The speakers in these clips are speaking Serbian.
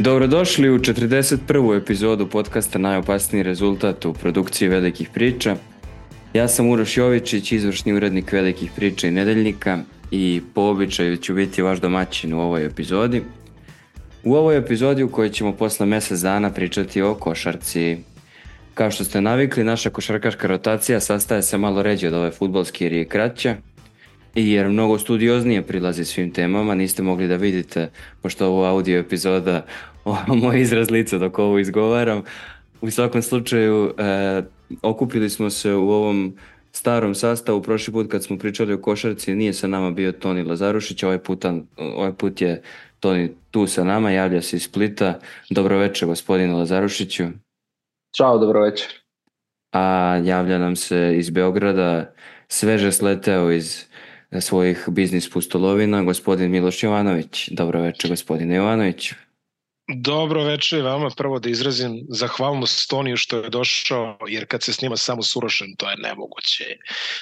Dobrodošli u 41. epizodu podcasta Najopasniji rezultat u produkciji Velikih priča. Ja sam Uroš Jovičić, izvršni urednik Velikih priča i Nedeljnika i po običaju ću biti vaš domaćin u ovoj epizodi. U ovoj epizodi u kojoj ćemo posle mjesec dana pričati o košarci. Kao što ste navikli, naša košarkaška rotacija sastaje se malo ređe od ove fudbalske jer je kraća. I jer mnogo studioznije prilazi svim temama, niste mogli da vidite, pošto ovo audio epizoda, moj izraz lica dok ovo izgovaram. U svakom slučaju, okupili smo se u ovom starom sastavu. Prošli put kad smo pričali o košarci nije sa nama bio Toni Lazarušić, ovaj put je Toni tu sa nama, javlja se iz Splita. Dobro večer, gospodine Lazarušiću. Ćao, dobro večer. A javlja nam se iz Beograda, sveže sleteo iz svojih biznis pustolovina, gospodin Miloš Jovanović. Dobro večer, gospodine Jovanović. Dobro večer vama. Prvo da izrazim zahvalnost Toniju što je došao, jer kad se snima samo s Urošem, to je nemoguće.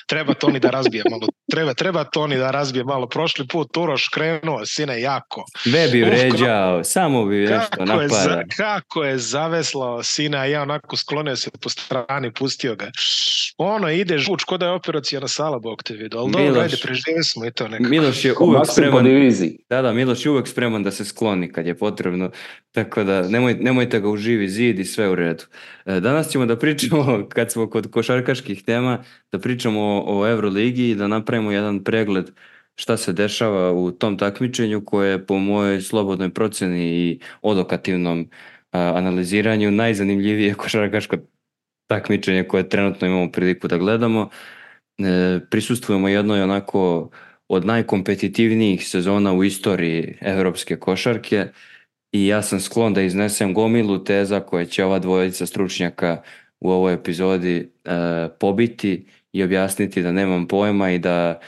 Treba Toni da razbije malo. Treba Toni da razbije malo. Prošli put Uroš krenuo, sine, jako. Be bi vređao, samo bi nešto napada. Kako je zaveslao sina, a ja onako sklonio se po strani, pustio ga. Ono ide žuč, ko da je operacijana sala, Bog te vidio. Ali dobro, ajde, preživjeli smo i to nekako. Miloš je uvek spreman. Da, Miloš je uvek spreman da se skloni kad je potrebno. Tako da nemojte ga u živi zid i sve u redu. Danas ćemo da pričamo, kad smo kod košarkaških tema, da pričamo o Euroligi i da napravimo jedan pregled šta se dešava u tom takmičenju koje je po mojoj slobodnoj proceni i odokativnom analiziranju najzanimljivije košarkaško takmičenje koje trenutno imamo priliku da gledamo. Prisustvujemo jednoj onako od najkompetitivnijih sezona u istoriji evropske košarke. I ja sam sklon da iznesem gomilu teza koje će ova dvojica stručnjaka u ovoj epizodi pobiti i objasniti da nemam pojma i da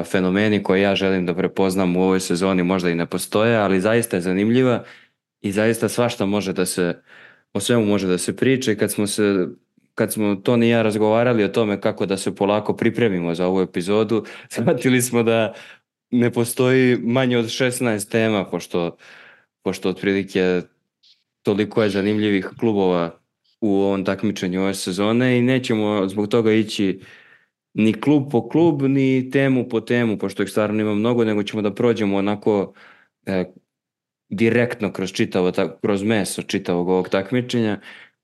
fenomeni koje ja želim da prepoznam u ovoj sezoni možda i ne postoje, ali zaista je zanimljiva i zaista svašta može da se, o svemu može da se priča. I kad smo Toni i ja razgovarali o tome kako da se polako pripremimo za ovu epizodu, shvatili smo da ne postoji manje od 16 tema, pošto otprilike toliko je zanimljivih klubova u ovom takmičenju ove sezone i nećemo zbog toga ići ni klub po klub, ni temu po temu, pošto ih stvarno ima mnogo, nego ćemo da prođemo onako direktno kroz meso čitavog ovog takmičenja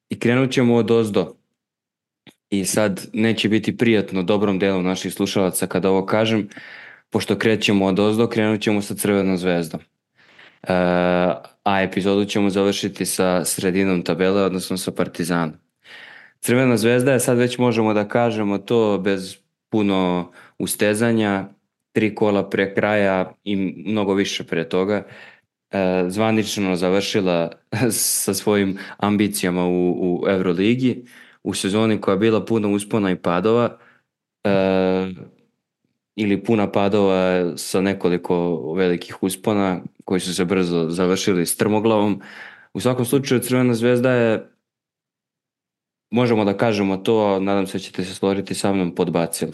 i krenut ćemo od ozdo. I sad neće biti prijatno dobrom delu naših slušalaca kada ovo kažem, pošto krećemo od ozdo, krenut ćemo sa Crvenom zvezdom. A epizodu ćemo završiti sa sredinom tabele, odnosno sa Partizanom. Crvena zvezda je, sad već možemo da kažemo to bez puno ustezanja, 3 kola pre kraja i mnogo više pre toga, zvanično završila sa svojim ambicijama u Euroligi, u sezoni koja je bila puno uspona i padova, ili puna padova sa nekoliko velikih uspona koji su se brzo završili strmoglavom. U svakom slučaju Crvena zvezda je, možemo da kažemo to, nadam se da ćete se složiti sa mnom, podbacila.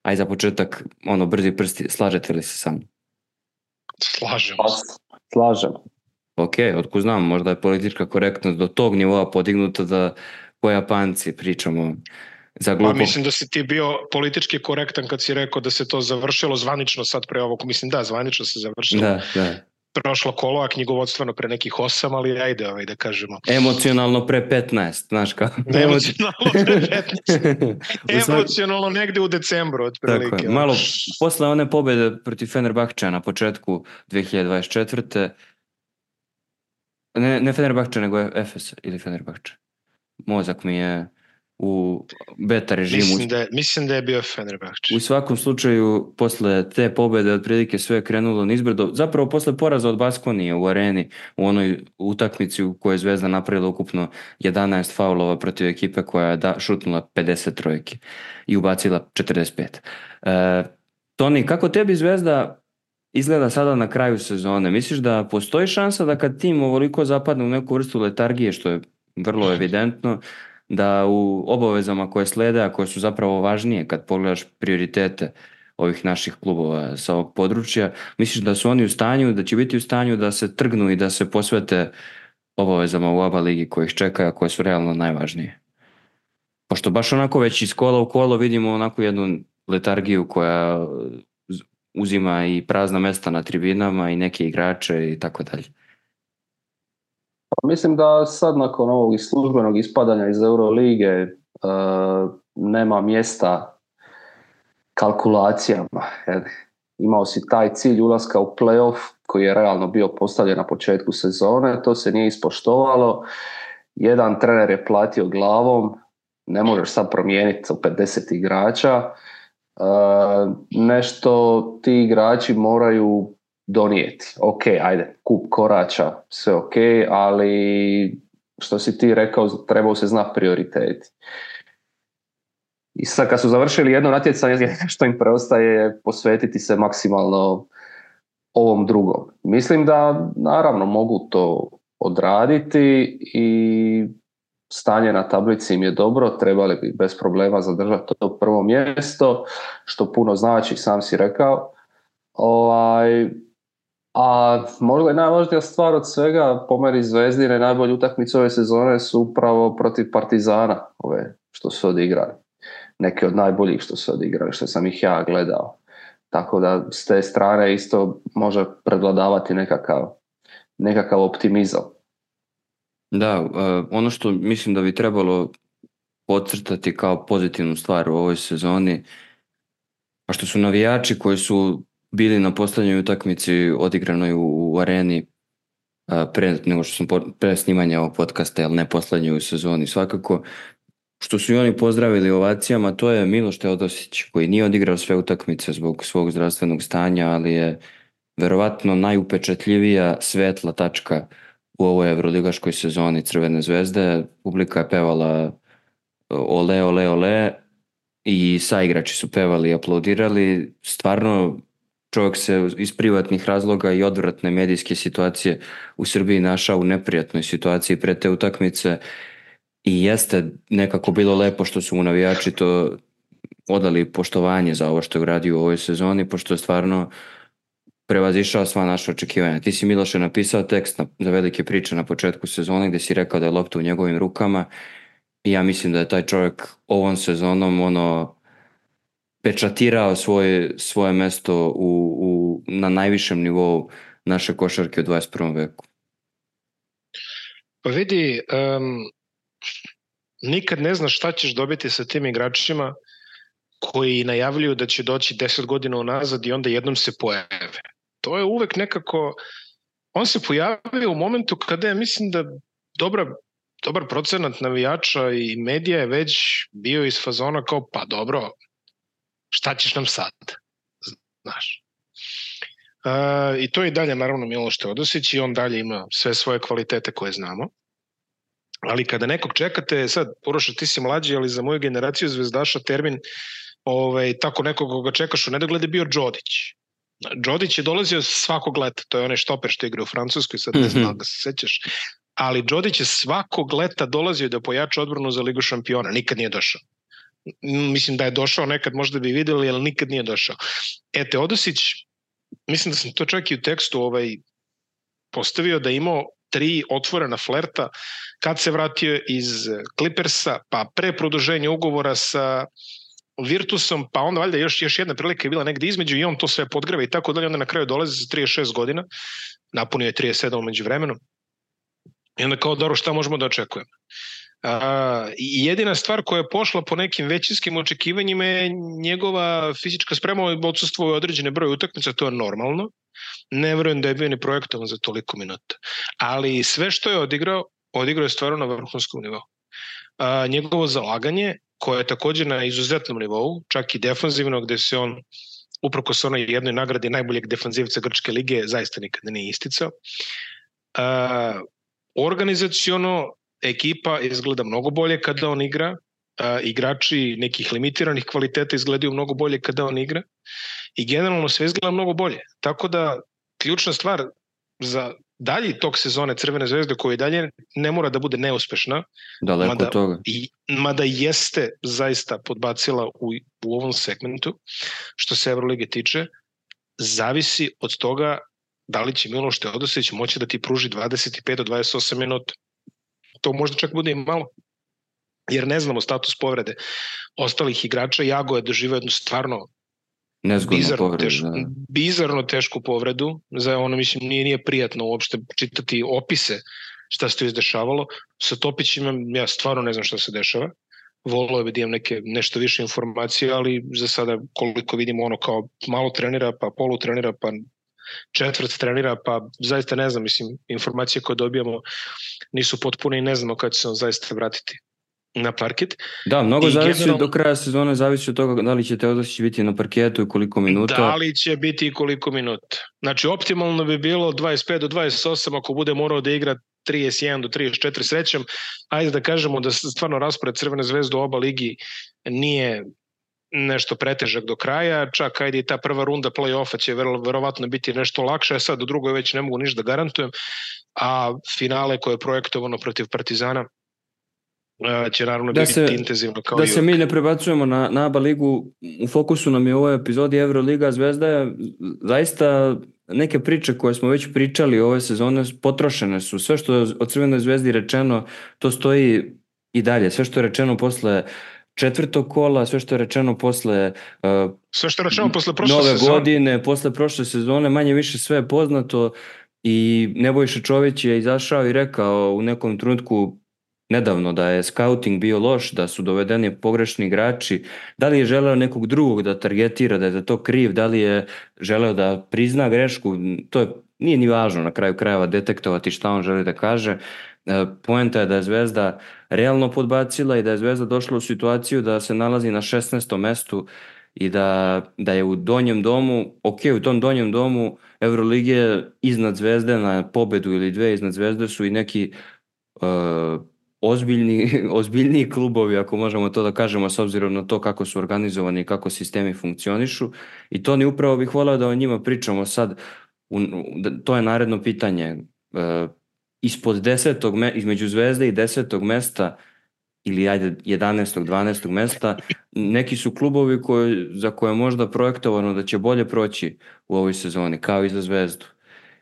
Aj za početak, brzi prsti, slažete li se sa mnom? Slažem. Ok, otkud znam, možda je politička korektnost do tog nivoa podignuta da po Japanci pričamo za glupo. Pa mislim da si ti bio politički korektan kad si rekao da se to završilo zvanično sad pre ovog. Mislim da, zvanično se završilo. Da. Prošlo kolo, a knjigovodstveno pre nekih 8, ali ajde da kažemo. Emocionalno pre 15, znaš kako? Emocionalno pre 15. Emocionalno negde u decembru, otprilike. Tako je, malo posle one pobjede protiv Fenerbahča na početku 2024. Ne Fenerbahča, nego Efes ili Fenerbahča. Mozak mi je u beta režimu. Mislim da je bio Fenerbahče. U svakom slučaju, posle te pobjede otprilike sve je krenulo nizbrdo. Zapravo posle poraza od Baskonije u areni, u onoj utakmici u kojoj je Zvezda napravila ukupno 11 faulova protiv ekipe koja je šutnula 50 trojki i ubacila 45. Toni, kako tebi Zvezda izgleda sada na kraju sezone? Misliš da postoji šansa da kad tim ovoliko zapadne u neku vrstu letargije, što je vrlo evidentno, da u obavezama koje slede, a koje su zapravo važnije kad pogledaš prioritete ovih naših klubova sa ovog područja. Misliš da su oni u stanju, da će biti u stanju da se trgnu i da se posvete obavezama u ABA ligi koje ih čekaju, a koje su realno najvažnije? Pošto baš onako već iz kola u kolo vidimo onako jednu letargiju koja uzima i prazna mesta na tribinama i neke igrače i tako dalje. Mislim da sad nakon ovog službenog ispadanja iz Eurolige nema mjesta kalkulacijama. Imao si taj cilj ulaska u play-off koji je realno bio postavljen na početku sezone, to se nije ispoštovalo. Jedan trener je platio glavom, ne možeš sad promijeniti 50 igrača. Nešto ti igrači moraju donijeti. Ok, ajde, kup korača, sve ok, ali što si ti rekao, trebao se znati prioriteti. I sad kad su završili jedno natjecanje, što im preostaje je posvetiti se maksimalno ovom drugom. Mislim da naravno mogu to odraditi i stanje na tablici im je dobro, trebali bi bez problema zadržati to prvo mjesto, što puno znači, sam si rekao. A možda je najvažnija stvar od svega, po meni Zvezdine najbolje utakmice ove sezone su upravo protiv Partizana, ove što su odigrali. Neke od najboljih što su odigrali, što sam ih ja gledao. Tako da s te strane isto može prevladavati nekakav optimizam. Da, ono što mislim da bi trebalo podcrtati kao pozitivnu stvar u ovoj sezoni, a što su navijači koji su bili na posljednjoj utakmici odigranoj u areni nego što sam pre snimanja ovog podcasta, ali ne posljednjoj u sezoni svakako, što su i oni pozdravili ovacijama, to je Miloš Teodosić, koji nije odigrao sve utakmice zbog svog zdravstvenog stanja, ali je verovatno najupečatljivija svetla tačka u ovoj evroligaškoj sezoni Crvene zvezde. Publika je pevala ole, ole, ole i saigrači su pevali i aplaudirali. Stvarno čovjek se iz privatnih razloga i odvratne medijske situacije u Srbiji našao u neprijatnoj situaciji pre te utakmice i jeste nekako bilo lepo što su mu navijači to odali poštovanje za ovo što je uradio u ovoj sezoni, pošto je stvarno prevazišao sva naša očekivanja. Ti si, Miloše, napisao tekst za velike priče na početku sezone gdje si rekao da je lopta u njegovim rukama i ja mislim da je taj čovjek ovom sezonom pečatirao svoje mesto na najvišem nivou naše košarke u 21. veku. Pa vidi, nikad ne znaš šta ćeš dobiti sa tim igračima koji najavljuju da će doći 10 godina unazad i onda jednom se pojave. To je uvek nekako, on se pojavio u momentu kada je, mislim da dobar procenat navijača i medija je već bio iz fazona kao, pa dobro, šta ćeš nam sad? Znaš. I to je i dalje naravno Miloš Teodosić i on dalje ima sve svoje kvalitete koje znamo. Ali kada nekog čekate, sad, Uroša, ti si mlađi, ali za moju generaciju zvezdaša termin tako nekog koga čekaš u nedogled je bio Đodić. Đodić je dolazio svakog leta, to je onaj štoper što igra u Francuskoj, sad ne znam da se sećaš, ali Đodić je svakog leta dolazio da pojača odbranu za Ligu šampiona, nikad nije došao. Mislim da je došao nekad, možda bi videli, ali nikad nije došao. Teodosić, mislim da sam to čak i u tekstu postavio da je imao 3 otvorena flerta kad se vratio iz Clippersa, pa pre produženja ugovora sa Virtusom, pa onda valjda još jedna prilika je bila negdje između i on to sve podgreva i tako dalje, onda na kraju dolazi sa 36 godina, napunio je 37 među vremenom i onda kao dobro šta možemo da očekujemo. I jedina stvar koja je pošla po nekim većinskim očekivanjima je njegova fizička sprema, odsustvuje određene broje utakmica, to je normalno. Ne verujem da je bio ni projektovan za toliko minuta. Ali sve što je odigrao je stvarno na vrhunskom nivou. Njegovo zalaganje, koje je također na izuzetnom nivou, čak i defanzivno, gde se on, uprkos onoj jednoj nagradi najboljeg defanzivca Grčke lige, zaista nikada nije isticao. Organizaciono ekipa izgleda mnogo bolje kada on igra, igrači nekih limitiranih kvaliteta izgledaju mnogo bolje kada on igra i generalno sve izgleda mnogo bolje. Tako da ključna stvar za dalji tok sezone Crvene zvezde koji dalje ne mora da bude neuspešna, Daleko od toga. Mada jeste zaista podbacila u ovom segmentu, što se Evrolige tiče, zavisi od toga da li će Miloš Teodosić moći da ti pruži 25 do 28 minuta. To možda čak bude i malo, jer ne znamo status povrede ostalih igrača. Jago je doživao jednu stvarno bizarno tešku povredu. Za ono, mislim, nije prijatno uopšte čitati opise šta se to izdešavalo. Sa Topićem ja stvarno ne znam šta se dešava. Volio bi da imam nešto više informacije, ali za sada koliko vidimo ono kao malo trenira, pa polu trenira, pa četvrt trenira, pa zaista ne znam, mislim, informacije koje dobijamo nisu potpune i ne znamo kada će se on zaista vratiti na parket. Da, mnogo zavisi do kraja sezone, zavisi od toga da li će Teodosić biti na parketu i koliko minuta. Da li će biti i koliko minuta. Znači, optimalno bi bilo 25 do 28, ako bude morao da igra 31 do 34 srećem. Ajde da kažemo da stvarno raspored Crvene zvezde u oba ligi nije nešto pretežak do kraja, čak ajde i ta prva runda play-offa će verovatno biti nešto lakše, sad u drugoj već ne mogu ništa da garantujem, a finale koje je projektovano protiv Partizana će naravno biti intenzivno kao i uvijek. Da se mi ne prebacujemo na ABA ligu, u fokusu nam je u ovoj epizodi Euroliga. Zvezda je zaista neke priče koje smo već pričali ove sezone potrošene su. Sve što je od Crvenoj zvezdi rečeno, to stoji i dalje. Sve što je rečeno posle četvrtog kola, sve što je rečeno posle nove godine, posle prošle sezone, manje više sve je poznato i Nebojša Čović je izašao i rekao u nekom trenutku nedavno da je scouting bio loš, da su dovedeni pogrešni igrači. Da li je želeo nekog drugog da targetira, da je za to kriv, da li je želeo da prizna grešku, to nije ni važno na kraju krajeva detektovati šta on želi da kaže. Poenta je da je Zvezda realno podbacila i da je Zvezda došla u situaciju da se nalazi na 16. mestu i da je u donjem domu, u tom donjem domu Evrolige iznad Zvezde na pobedu ili dve iznad Zvezde su i neki ozbiljniji klubovi, ako možemo to da kažemo, s obzirom na to kako su organizovani i kako sistemi funkcionišu. I to upravo bih voleo da o njima pričamo sad. To je naredno pitanje. Između Zvezde i 10. mesta ili ajde 11. 12. mesta neki su klubovi za koje je možda projektovano da će bolje proći u ovoj sezoni, kao i za Zvezdu.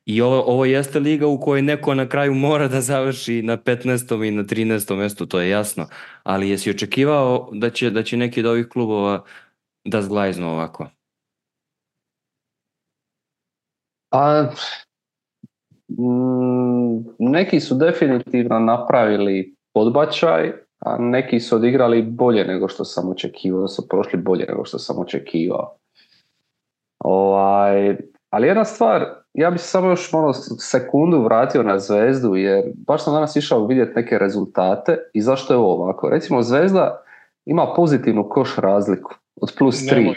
I ovo jeste liga u kojoj neko na kraju mora da završi na 15. i na 13. mestu, to je jasno. Ali jesi očekivao da će neki od ovih klubova da zglajznu ovako? Neki su definitivno napravili podbačaj, a neki su odigrali bolje nego što sam očekivao, da su prošli bolje nego što sam očekivao. Ali jedna stvar, ja bih se samo još sekundu vratio na Zvezdu, jer baš sam danas išao vidjeti neke rezultate i zašto je ovo ovako. Recimo, Zvezda ima pozitivnu koš razliku od +3.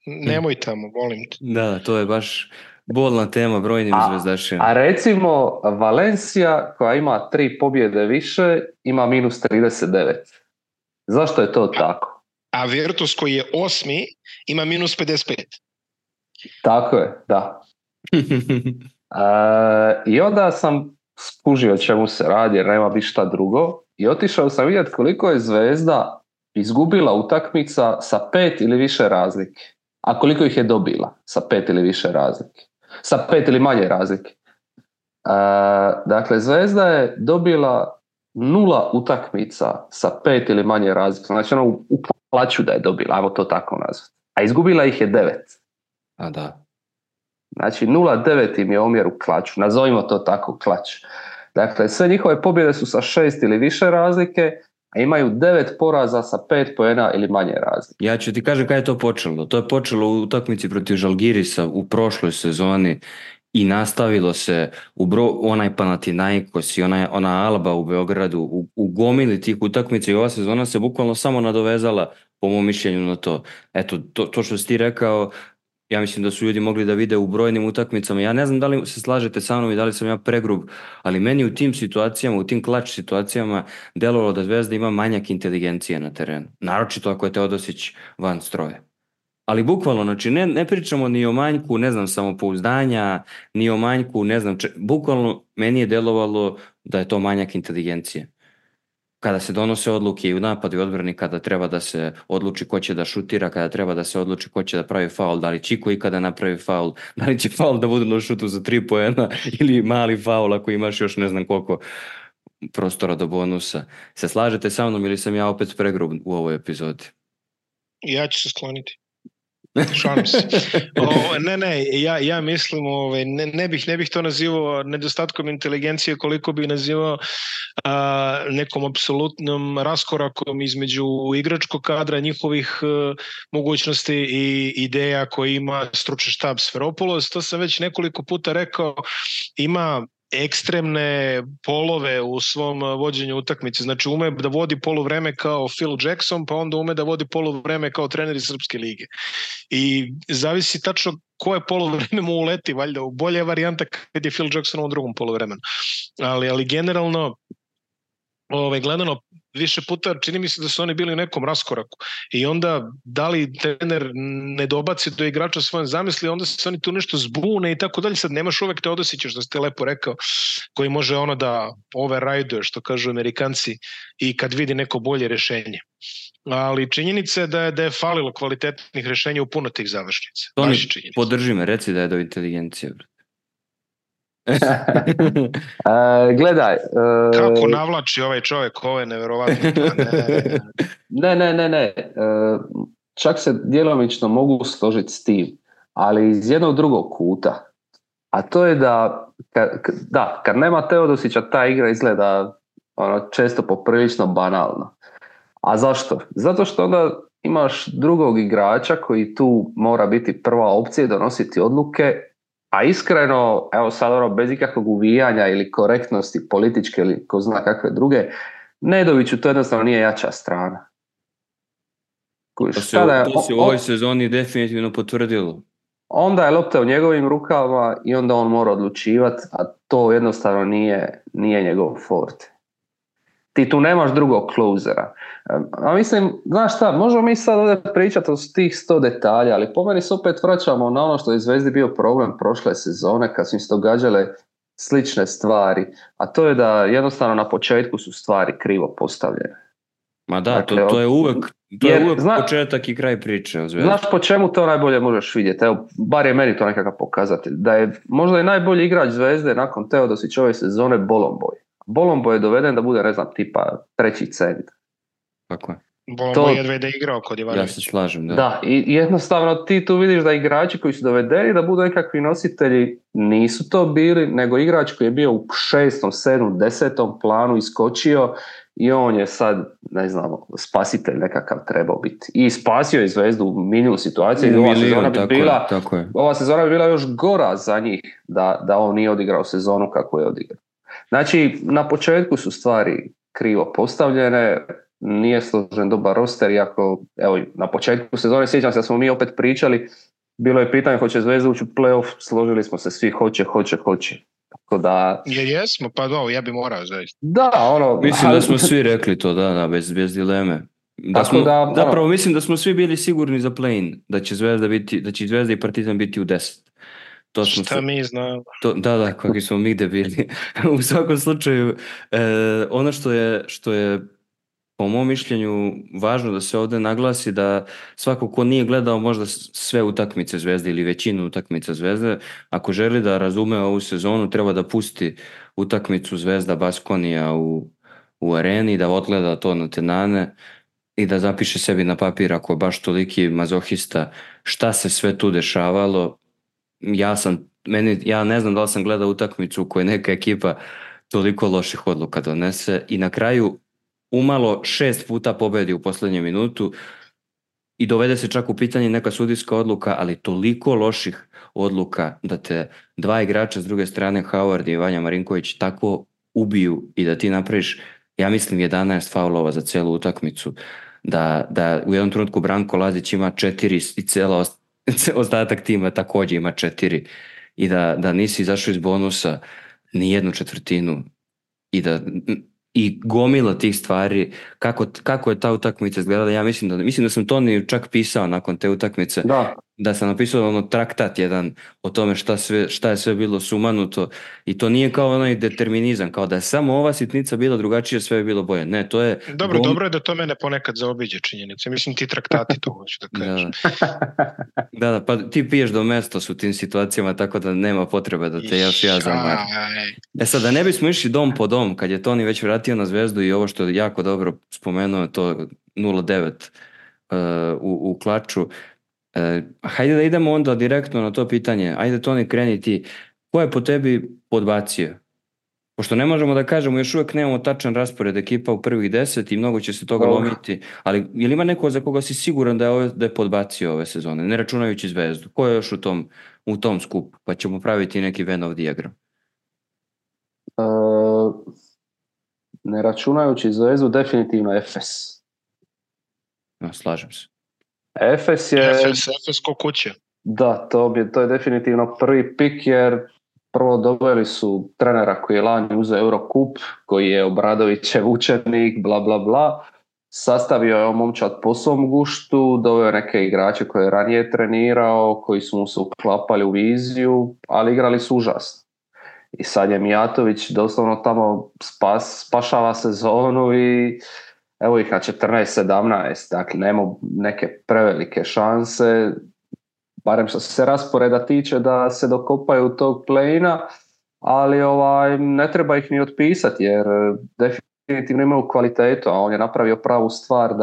Nemoj tamo, volim te. Da, to je baš bolna tema brojnim zvezdašima. A recimo, Valencia, koja ima 3 pobjede više, ima -39. Zašto je to tako? A Virtus, koji je 8. ima -55. Tako je, da. I onda sam skužio čemu se radi, jer nema bi šta drugo. I otišao sam vidjeti koliko je Zvezda izgubila utakmica sa 5 ili više razlike. A koliko ih je dobila sa 5 ili više razlike. Sa 5 ili manje razlike. Dakle, Zvezda je dobila 0 utakmica sa 5 ili manje razlike. Znači, ono u plaću da je dobila, ajmo to tako nazvati. A izgubila ih je 9. A da. Znači 0,9 im je omjer u klaču, nazovimo to tako klač. Dakle, sve njihove pobjede su sa 6 ili više razlike, a imaju 9 poraza sa 5 poena ili manje razlike. Ja ću ti kažem kada je to počelo. To je počelo u utakmici protiv Žalgirisa u prošloj sezoni i nastavilo se onaj Panathinaikos i ona Alba u Beogradu u gomili tih utakmica i ova sezona se bukvalno samo nadovezala po mom mišljenju na to. Eto, to što si ti rekao, ja mislim da su ljudi mogli da vide u brojnim utakmicama. Ja ne znam da li se slažete sa mnom i da li sam ja pregrub, ali meni u tim situacijama, u tim klač situacijama delovalo da Zvezda ima manjak inteligencije na terenu. Naročito ako je Teodosić van stroja. Ali bukvalno, znači ne pričamo ni o manjku, ne znam, samopouzdanja, ni o manjku, ne znam, bukvalno meni je delovalo da je to manjak inteligencije. Kada se donose odluke i u napadu i odbrani, kada treba da se odluči ko će da šutira, kada treba da se odluči ko će da pravi faul, da li Čiko ikada napravi faul, da li će faul da bude na šutu za 3 poena ili mali faul ako imaš još ne znam koliko prostora do bonusa. Se slažete sa mnom ili sam ja opet pregrub u ovoj epizodi? Ja ću se skloniti. Šalim se. Ja mislim, ne bih to nazivao nedostatkom inteligencije koliko bih nazivao nekom apsolutnom raskorakom između igračkog kadra, njihovih mogućnosti i ideja koje ima stručni štab Sferopoulos. To sam već nekoliko puta rekao, ima ekstremne polove u svom vođenju utakmice. Znači ume da vodi poluvreme kao Phil Jackson, pa onda ume da vodi poluvreme kao trener iz Srpske lige. I zavisi tačno koje poluvreme mu uleti, valjda u bolje varijanta kad je Phil Jackson u drugom poluvremenu. Ali generalno gledano više puta čini mi se da su oni bili u nekom raskoraku i onda da li trener ne dobaci do igrača svoje zamisli, onda se oni tu nešto zbune i tako dalje. Sad nemaš uvek Teodosića, što ste lepo rekao, koji može da override, što kažu Amerikanci, i kad vidi neko bolje rešenje. Ali činjenica je da je falilo kvalitetnih rešenja u puno tih završnica. Toni, podrži me, reci da je do inteligencije. Gledaj. Kako navlači ovaj čovjek, ovo je neverovatno. Ne. Čak se djelomično mogu složiti s tim, ali iz jednog drugog kuta. A to je da kad nema Teodosića, ta igra izgleda često poprilično banalno. A zašto? Zato što onda imaš drugog igrača koji tu mora biti prva opcija i donositi odluke. A iskreno, evo sad bez ikakvog uvijanja ili korektnosti političke ili ko zna kakve druge, Nedoviću to jednostavno nije jača strana. To se u ovoj sezoni definitivno potvrdilo. Onda je lopta u njegovim rukama i onda on mora odlučivati, a to jednostavno nije njegov forte. Ti tu nemaš drugog closera. A mislim, znaš šta, možemo mi sad ovdje pričati o tih 100 detalja, ali po meni se opet vraćamo na ono što je Zvezdi bio problem prošle sezone, kad su im se događale slične stvari, a to je da jednostavno na početku su stvari krivo postavljene. Ma da, dakle, to je uvek početak i kraj priče o Zvezdi. Znaš po čemu to najbolje možeš vidjeti? Evo, bar je meni to nekakav pokazatelj. Da je možda i najbolji igrač Zvezde nakon Teodosićove sezone Bolomboy. Bolombo je doveden da bude, ne znam, tipa treći centar. Tako je. Bolombo jedva je da igrao kod Ivanovića. Ja se slažem, da. Da, i jednostavno ti tu vidiš da igrači koji su dovedeni da budu nekakvi nositelji nisu to bili, nego igrač koji je bio u 6., 7., 10. planu iskočio i on je sad, ne znam, spasitelj nekakav trebao biti. I spasio je Zvezdu u milijun situaciji. Ova sezona bi bila još gora za njih da on nije odigrao sezonu kako je odigrao. Znači, na početku su stvari krivo postavljene, nije složen dobar roster, iako, evo, na početku sezone sjećam se da smo mi opet pričali, bilo je pitanje hoće Zvezda ući u play-off, složili smo se svi hoće. Tako da... Jesmo, pa da, ja bi morao zaista. Da, mislim da smo svi rekli to, da, bez dileme. Zapravo mislim da smo svi bili sigurni za play-in, da će Zvezda i Partizan biti u 10. Mi znamo. Da, kakvi smo mi debili. U svakom slučaju, ono što je po mom mišljenju važno da se ovdje naglasi, da svako ko nije gledao možda sve utakmice Zvezde ili većinu utakmica Zvezde, ako želi da razume ovu sezonu, treba da pusti utakmicu Zvezda Baskonija u areni, da odgleda to na tenane i da zapiše sebi na papir, ako je baš toliki mazohista, šta se sve tu dešavalo. Ja ne znam da li sam gledao utakmicu u kojoj neka ekipa toliko loših odluka donese i na kraju umalo 6 puta pobedi u posljednjem minutu i dovede se čak u pitanje neka sudijska odluka, ali toliko loših odluka da te dva igrača s druge strane, Howard i Vanja Marinković, tako ubiju i da ti napraviš, ja mislim, 11 faulova za celu utakmicu, da u jednom trenutku Branko Lazić ima 4 i cela ostatak tima također ima 4 i da nisi izašao iz bonusa ni jednu četvrtinu i gomila tih stvari, kako je ta utakmica izgledala. Ja mislim da sam Toni čak pisao nakon te utakmice, da sam napisao traktat jedan o tome šta je sve bilo sumanuto, i to nije kao onaj determinizam, kao da je samo ova sitnica bila drugačija, sve je bilo bolje. Ne, to je... Dobro je da to mene ponekad zaobiđe činjenice. Mislim, ti traktati to hoću da kažem. Da, pa ti piješ do mesta u tim situacijama, tako da nema potrebe da te ja zamarim. Sad, da ne bismo išli dom po dom, kad je Toni već vratio na Zvezdu i ovo što je jako dobro spomenuo, to 0-9 u klaču, hajde da idemo onda direktno na to pitanje. Ajde, Toni, kreni ti. Ko je po tebi podbacio? Pošto ne možemo da kažemo, još uvijek nemamo tačan raspored ekipa u prvih 10 i mnogo će se toga lomiti, ali je li ima neko za koga si siguran da je podbacio ove sezone, ne računajući Zvezdu? Ko je još u tom skupu? Pa ćemo praviti neki Venn dijagram. Ne računajući Zvezdu, definitivno Efes. Slažem se. Efes ko kuće. Da, to je definitivno prvi pik, jer prvo doveli su trenera koji je lani uzeo Eurocup, koji je Obradovićev učenik, bla bla bla. Sastavio je momčad po svom guštu, doveo neke igrače koje je ranije trenirao, koji su mu se uklapali u viziju, ali igrali su užasno. I sad je Mijatović doslovno tamo spašava sezonu i evo ih na 14-17, dakle nema neke prevelike šanse, barem što se rasporeda tiče, da se dokopaju tog play-ina, ali ne treba ih ni otpisati, jer definitivno imaju kvalitetu, a on je napravio pravu stvar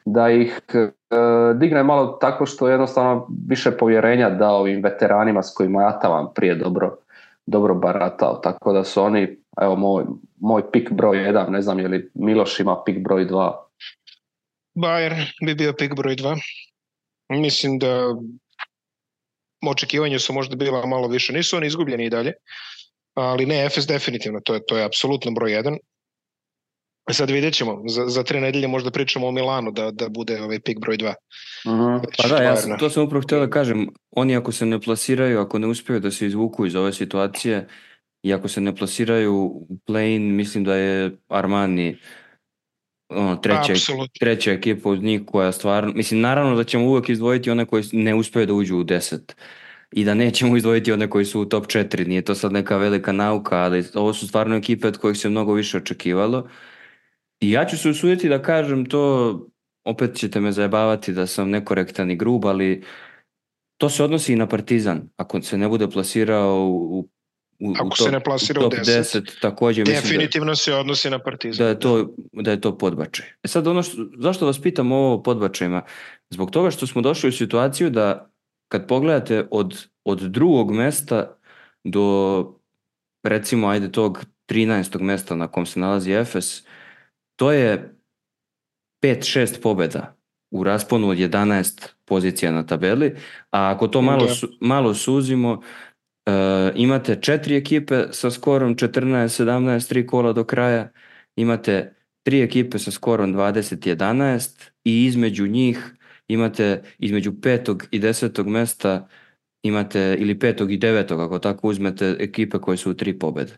da ih digne malo tako što jednostavno više povjerenja dao ovim veteranima s kojima ja taman prije dobro baratao, tako da su oni, evo moj pik broj 1, ne znam je li Miloš ima pik broj 2. Bayern bi bio pik broj 2. Mislim da očekivanja su možda bila malo više, nisu oni izgubljeni i dalje, ali ne, Efes definitivno, to je apsolutno broj 1. Sad vidjet ćemo, za 3 nedelje možda pričamo o Milanu da bude ovaj pik broj 2. Pa da, to sam upravo htio da kažem, oni ako se ne plasiraju, ako ne uspiju da se izvuku iz ove situacije i ako se ne plasiraju u play-in, mislim da je Armani treća ekipa uz njih koja stvarno, mislim naravno da ćemo uvijek izdvojiti one koji ne uspiju da uđu u 10 i da nećemo izdvojiti one koji su u top 4, nije to sad neka velika nauka, ali ovo su stvarno ekipe od kojih se mnogo više očekivalo. I ja ću se usuditi da kažem to, opet ćete me zajebavati da sam nekorektan i grub, ali to se odnosi i na Partizan. Ako se ne bude plasirao u top 10, također definitivno mislim se odnosi na Partizan. Da je to podbačaj. Sad zašto vas pitam ovo o podbačajima? Zbog toga što smo došli u situaciju da kad pogledate od drugog mesta do recimo ajde tog 13. mesta na kom se nalazi Efes, to je 5-6 pobjeda u rasponu od 11 pozicija na tabeli, a ako to malo suzimo, imate 4 ekipe sa skorom 14-17, 3 kola do kraja, imate 3 ekipe sa skorom 20-11 i između njih imate između 5. i 10. mesta imate, ili 5. i 9. ako tako uzmete, ekipe koje su u 3 pobjede.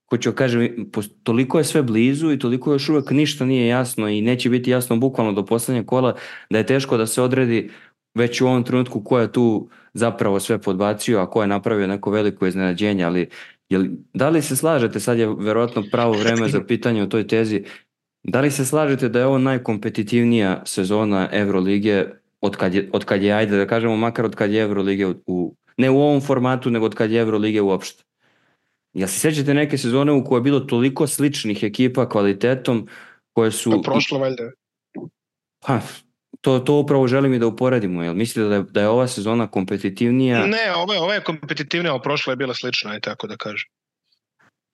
Hoću kažem, toliko je sve blizu i toliko još uvijek ništa nije jasno i neće biti jasno bukvalno do posljednjeg kola, da je teško da se odredi već u ovom trenutku ko je tu zapravo sve podbacio, a ko je napravio neko veliko iznenađenje, ali da li se slažete, sad je verovatno pravo vreme za pitanje o toj tezi, da li se slažete da je ovo najkompetitivnija sezona Evrolige od kad je, ajde da kažemo, makar od kad je Evrolige ne u ovom formatu, nego od kad je Evrolige uopšte? Jel se sjećate neke sezone u kojoj je bilo toliko sličnih ekipa kvalitetom koje su... Pa prošlo valjda. To upravo želim i da uporedimo. Jel mislite da je ova sezona kompetitivnija? Ne, ova je kompetitivnija, a prošla je bila slična, tako da kažem.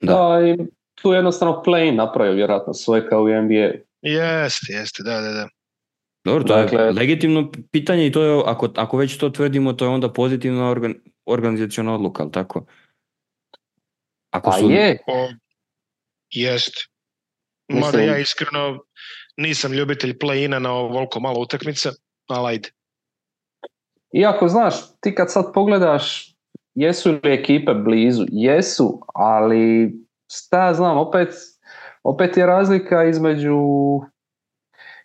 Da, i tu jednostavno play napravio vjerojatno svoje kao u NBA. Jeste, da. Dobro, to je legitimno pitanje i to je, ako već to tvrdimo, to je onda pozitivna organizaciona odluka, ali tako? Jeste. Mada ja iskreno nisam ljubitelj play-ina na ovoliko malo utakmica, ali ajde. Iako znaš, ti kad sad pogledaš jesu li ekipe blizu, jesu, ali šta ja znam, opet opet je razlika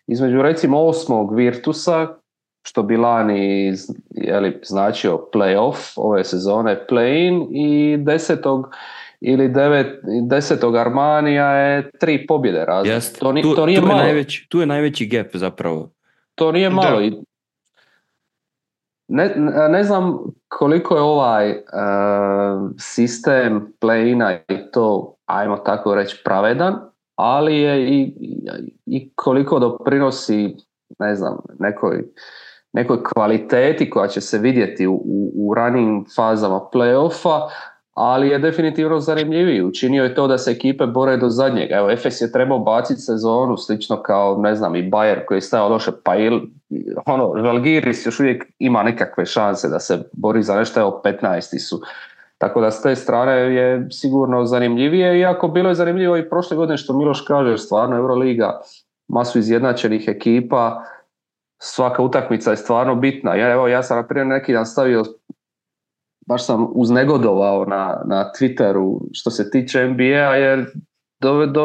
između recimo 8. Virtusa, što bi lani značio play-off, ove sezone play-in, i 10. ili 10. Armanija je 3 pobjede razlike. To nije malo. Tu je najveći gap zapravo. To nije malo. Ne znam koliko je ovaj sistem play-ina i to, ajmo tako reći, pravedan, ali je i koliko doprinosi, ne znam, nekoj kvaliteti koja će se vidjeti u ranim fazama play-offa, ali je definitivno zanimljiviji. Učinio je to da se ekipe bore do zadnjega. Evo, Efes je trebao baciti sezonu slično kao, ne znam, i Bayern koji je stajao loše, pa Žalgiris još uvijek ima nekakve šanse da se bori za nešto, evo 15. su. Tako da s te strane je sigurno zanimljivije, iako bilo je zanimljivo i prošle godine što Miloš kaže, stvarno Euroliga, masu izjednačenih ekipa, svaka utakmica je stvarno bitna. Ja sam na primjer neki dan stavio, baš sam uznegodovao na Twitteru što se tiče NBA, jer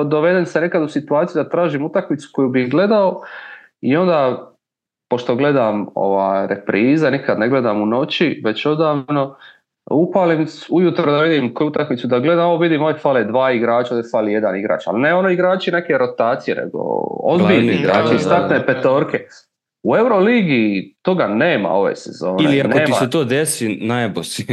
doveden se nekad u situaciju da tražim utakmicu koju bih gledao i onda, pošto gledam reprize, nikad ne gledam u noći, već odavno, upalim ujutro da vidim koju utakmicu da gledam, ovo vidim, ovdje fale 2 igrača, ovdje fali 1 igrač, ali ne igrači neke rotacije, nego ozbiljni igrači, startne petorke. U Euroligi toga nema ove sezone. Ili ako ti se to desi, najebo si.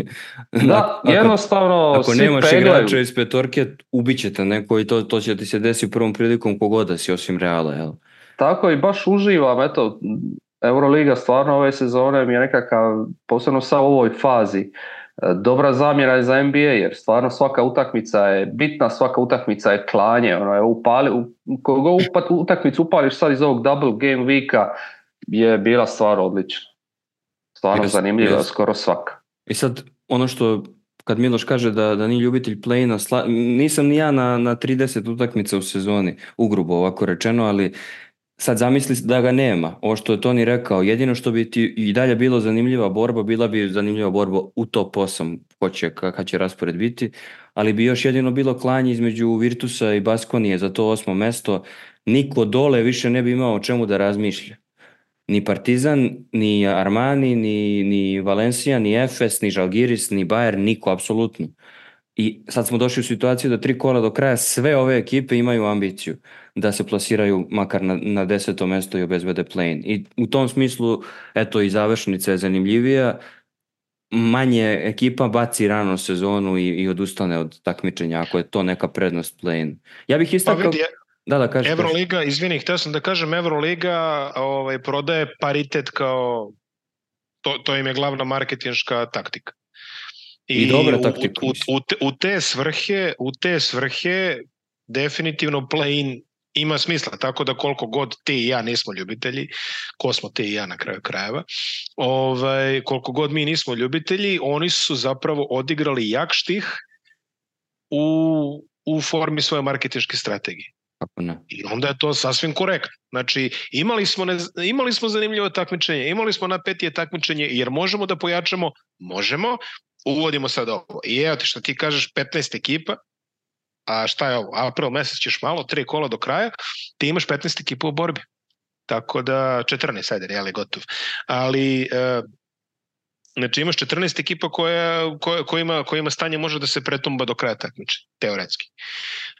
Da, jednostavno ako svi nemaš igrača iz petorke, ubićete neko i to će ti se desi u prvom prilikom kogoda si, osim Reala. Jel? Tako i baš uživam, eto, Euroliga stvarno ove sezone mi je nekakav, posebno sa ovoj fazi, dobra zamjena je za NBA, jer stvarno svaka utakmica je bitna, svaka utakmica je klanje. Koliko utakmicu upališ sad iz ovog double game weeka, je bila stvar odlična. Stvarno zanimljiva, skoro svaka. I sad, ono što, kad Miloš kaže da nije ljubitelj play-ina, nisam ni ja na 30 utakmica u sezoni, ugrubo ovako rečeno, ali sad zamisli da ga nema. Ovo što je Toni rekao, jedino što bi ti i dalje bilo zanimljiva borba, bila bi zanimljiva borba u top 8, kakav će raspored biti, ali bi još jedino bilo klanje između Virtusa i Baskonije za to 8. mesto. Niko dole više ne bi imao o čemu da razmišlja. Ni Partizan, ni Armani, ni Valencia, ni Efes, ni Žalgiris, ni Bayern, niko, apsolutno. I sad smo došli u situaciju da 3 kola do kraja sve ove ekipe imaju ambiciju da se plasiraju makar na 10. mesto i obezbede play-in. I u tom smislu, eto, i završnica je zanimljivija. Manje ekipa baci rano sezonu i odustane od takmičenja, ako je to neka prednost play-in. Ja bih istakao... Da, kaži. Euroliga, izvini, htio sam da kažem, Euroliga prodaje paritet kao, to im je glavna marketinška taktika. I dobra taktika. U te svrhe definitivno play-in ima smisla, tako da koliko god ti i ja nismo ljubitelji, ko smo ti i ja na kraju krajeva, koliko god mi nismo ljubitelji, oni su zapravo odigrali jak štih u formi svoje marketinške strategije. I onda je to sasvim korektno. Znači, imali smo zanimljivo takmičenje, imali smo napetije takmičenje, jer možemo da pojačamo, možemo, uvodimo sad ovo. I evo ti što ti kažeš, 15 ekipa, a šta je ovo, april mesec ćeš malo, 3 kola do kraja, ti imaš 15 ekipa u borbi. Tako da, 14, ajde, je gotov. Ali, znači imaš 14 ekipa kojima stanje može da se pretumba do kraja takmičenja, teoretski.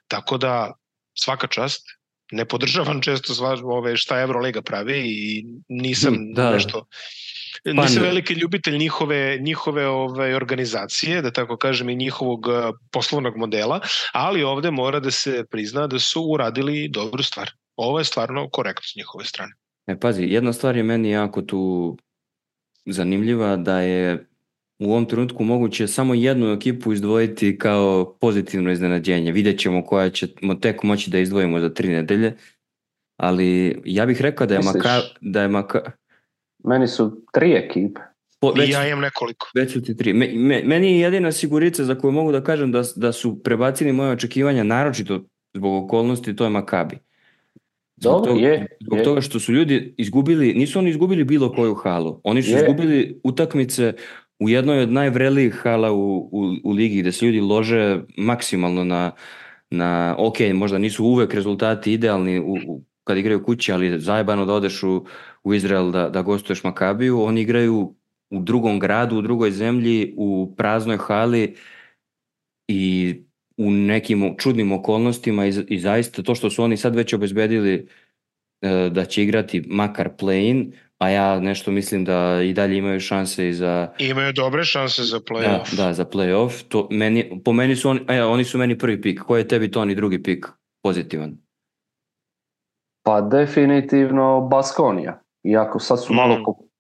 Tako da, svaka čast, ne podržavam često šta Euroliga pravi i nisam nisam veliki ljubitelj njihove organizacije, da tako kažem, i njihovog poslovnog modela, ali ovde mora da se prizna da su uradili dobru stvar. Ovo je stvarno korektno s njihove strane. Pazi, jedna stvar je meni jako tu zanimljiva, da je u ovom trenutku moguće samo jednu ekipu izdvojiti kao pozitivno iznenađenje. Vidjet ćemo koja ćemo tek moći da izdvojimo za 3 nedelje, ali ja bih rekao da je Meni su 3 ekipe. Ja imam nekoliko. Već su ti 3. Meni je jedina sigurica za koju mogu da kažem da su prebacili moje očekivanja, naročito zbog okolnosti, to je Makabi. Zbog toga što su ljudi izgubili, nisu oni izgubili bilo koju halu. Oni su izgubili utakmice u jednoj od najvrelijih hala u ligi, gde se ljudi lože maksimalno ok, možda nisu uvek rezultati idealni kad igraju kući, ali je zajebano da odeš u Izrael da gostuješ Makabiju. Oni igraju u drugom gradu, u drugoj zemlji, u praznoj hali i u nekim čudnim okolnostima i zaista to što su oni sad već obezbedili da će igrati makar play-in, a ja nešto mislim da i dalje imaju šanse i za... Imaju dobre šanse za play-off. Da, za play-off. Po meni su oni su meni prvi pik. Ko je tebi to ni drugi pik pozitivan? Pa definitivno Baskonija. Iako sad su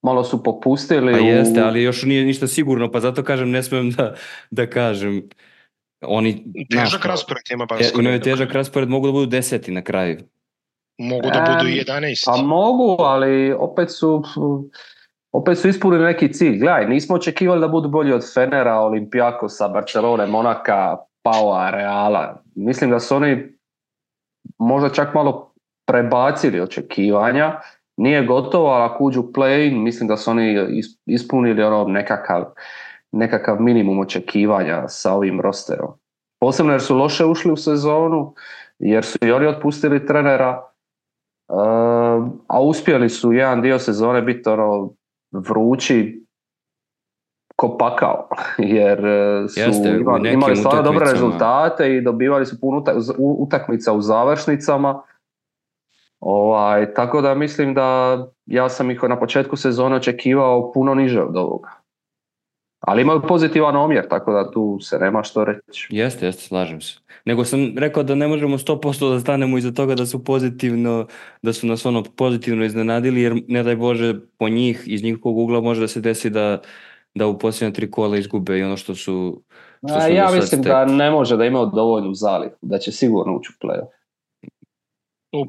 malo su popustili. Pa jeste, ali još nije ništa sigurno, pa zato kažem, ne smijem da kažem. Oni, težak raspored ima Baskonija. Imaju težak raspored, mogu da budu 10 na kraju. Mogu da budu 11. Pa mogu, ali opet su ispunili neki cilj. Gledaj, nismo očekivali da budu bolji od Fenera, Olimpijakosa, Barcelone, Monaka, Paua, Reala. Mislim da su oni možda čak malo prebacili očekivanja. Nije gotovo, ali ako uđu play, mislim da su oni ispunili nekakav minimum očekivanja sa ovim rosterom. Posebno jer su loše ušli u sezonu, jer su i oni otpustili trenera, a uspjeli su jedan dio sezone biti vrući ko pakao, jer su imali stvarno dobre rezultate i dobivali su puno utakmica u završnicama. Tako da mislim da ja sam ih na početku sezone očekivao puno niže od ovoga. Ali imaju pozitivan omjer, tako da tu se nema što reći. Jeste, slažem se. Nego sam rekao da ne možemo 100% da stanemo iza toga da su nas pozitivno iznenadili, jer ne daj Bože po njih, iz njihovog ugla može da se desi da u posljednja 3 kola izgube i ono što su ja mislim da ne može da imaju dovoljnu zalihu, da će sigurno ući u play-off. U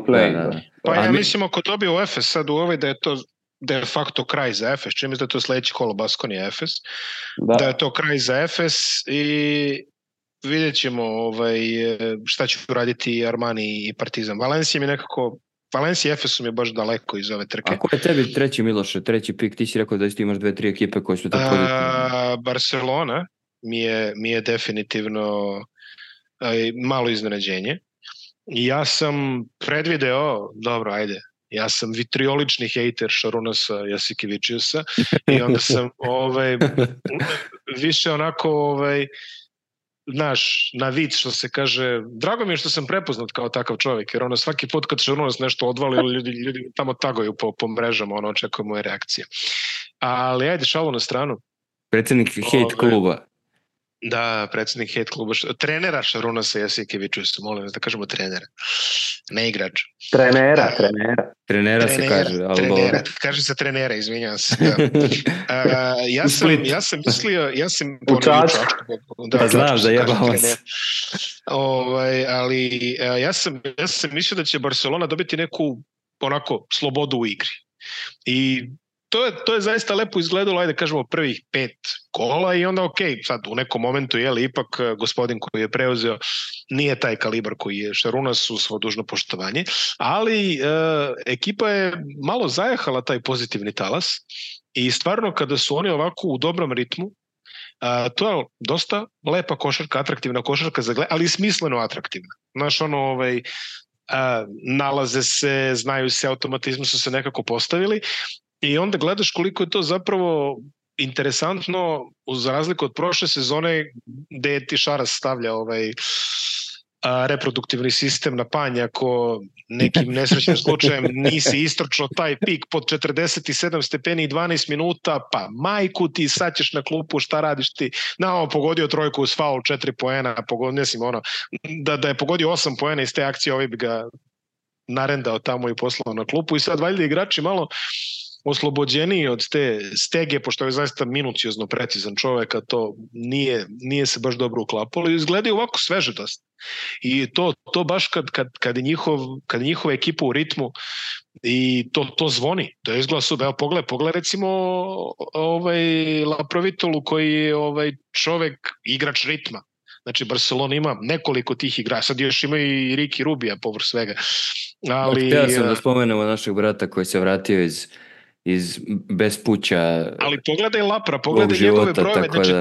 play-in. Pa ja mislim ako dobiju u Efes sad u ovoj da je to de facto kraj za Efes, čim je da je to sljedeći kolo Baskonija Efes, da je to kraj za Efes i vidjet ćemo šta će raditi Armani i Partizan. Valencia i Efes su mi baš daleko iz ove trke. A ko je tebi treći, Miloše, treći pik? Ti si rekao da imaš 2-3 ekipe koje su to pozitivne. Barcelona mi je definitivno malo iznenađenje. Ja sam predvideo, ja sam vitriolični hejter Šarunasa Jasikevičiusa i onda sam više onako na vic što se kaže, drago mi je što sam prepoznat kao takav čovjek, jer svaki put kad Šarunas nešto odvali, ljudi tamo tagaju po mrežama, očekuju moje reakcije. Ali šalu na stranu. Predsjednik hejt kluba. Da, predsjednik hejt kluba, trenera Šarunasa Jasikevičiusa, molim da kažemo trenera, ne igrač. Trenera se kaže. Kaže se trenera, izvinjavam se. Ja sam mislio, u Čačku. Pa znam, zajebao se. Ali ja sam mislio da će Barcelona dobiti neku onako slobodu u igri. I to je zaista lepo izgledalo, ajde kažemo prvih 5 kola i onda sad u nekom momentu ipak gospodin koji je preuzeo nije taj kalibar koji je Šarunas, u svo dužno poštovanje, ali ekipa je malo zajahala taj pozitivni talas i stvarno kada su oni ovako u dobrom ritmu, to je dosta lepa košarka, atraktivna košarka za gled, ali smisleno atraktivna. Znaš, nalaze se, znaju se, automatizmu su se nekako postavili. I onda gledaš koliko je to zapravo interesantno, za razliku od prošle sezone gde je ti Šaras stavlja reproduktivni sistem na panj ako nekim nesrećnim slučajem nisi istrčao taj pik pod 47 stepeni i 12 minuta, pa majku ti, sad ćeš na klupu, šta radiš ti? Pogodio trojku uz faul, 4 poena, da je pogodio 8 poena iz te akcije, bi ga narendao tamo i poslao na klupu i sad valjda igrači malo oslobođeniji od te stege, pošto je zaista minuciozno precizan čovjek, a to nije se baš dobro uklapalo i izgledaju ovako sveže dosta. I to baš kad je njihova ekipa u ritmu i to zvoni, to je izgleda super. Evo pogledaj recimo Laprovitolu koji je čovjek igrač ritma. Znači Barcelona ima nekoliko tih igrača, sad još ima i Ricky Rubija povrh svega. Htio sam da spomenemo našeg brata koji se vratio iz bespuća. Ali pogledaj Lapra, pogledaj njegove brojeve, znači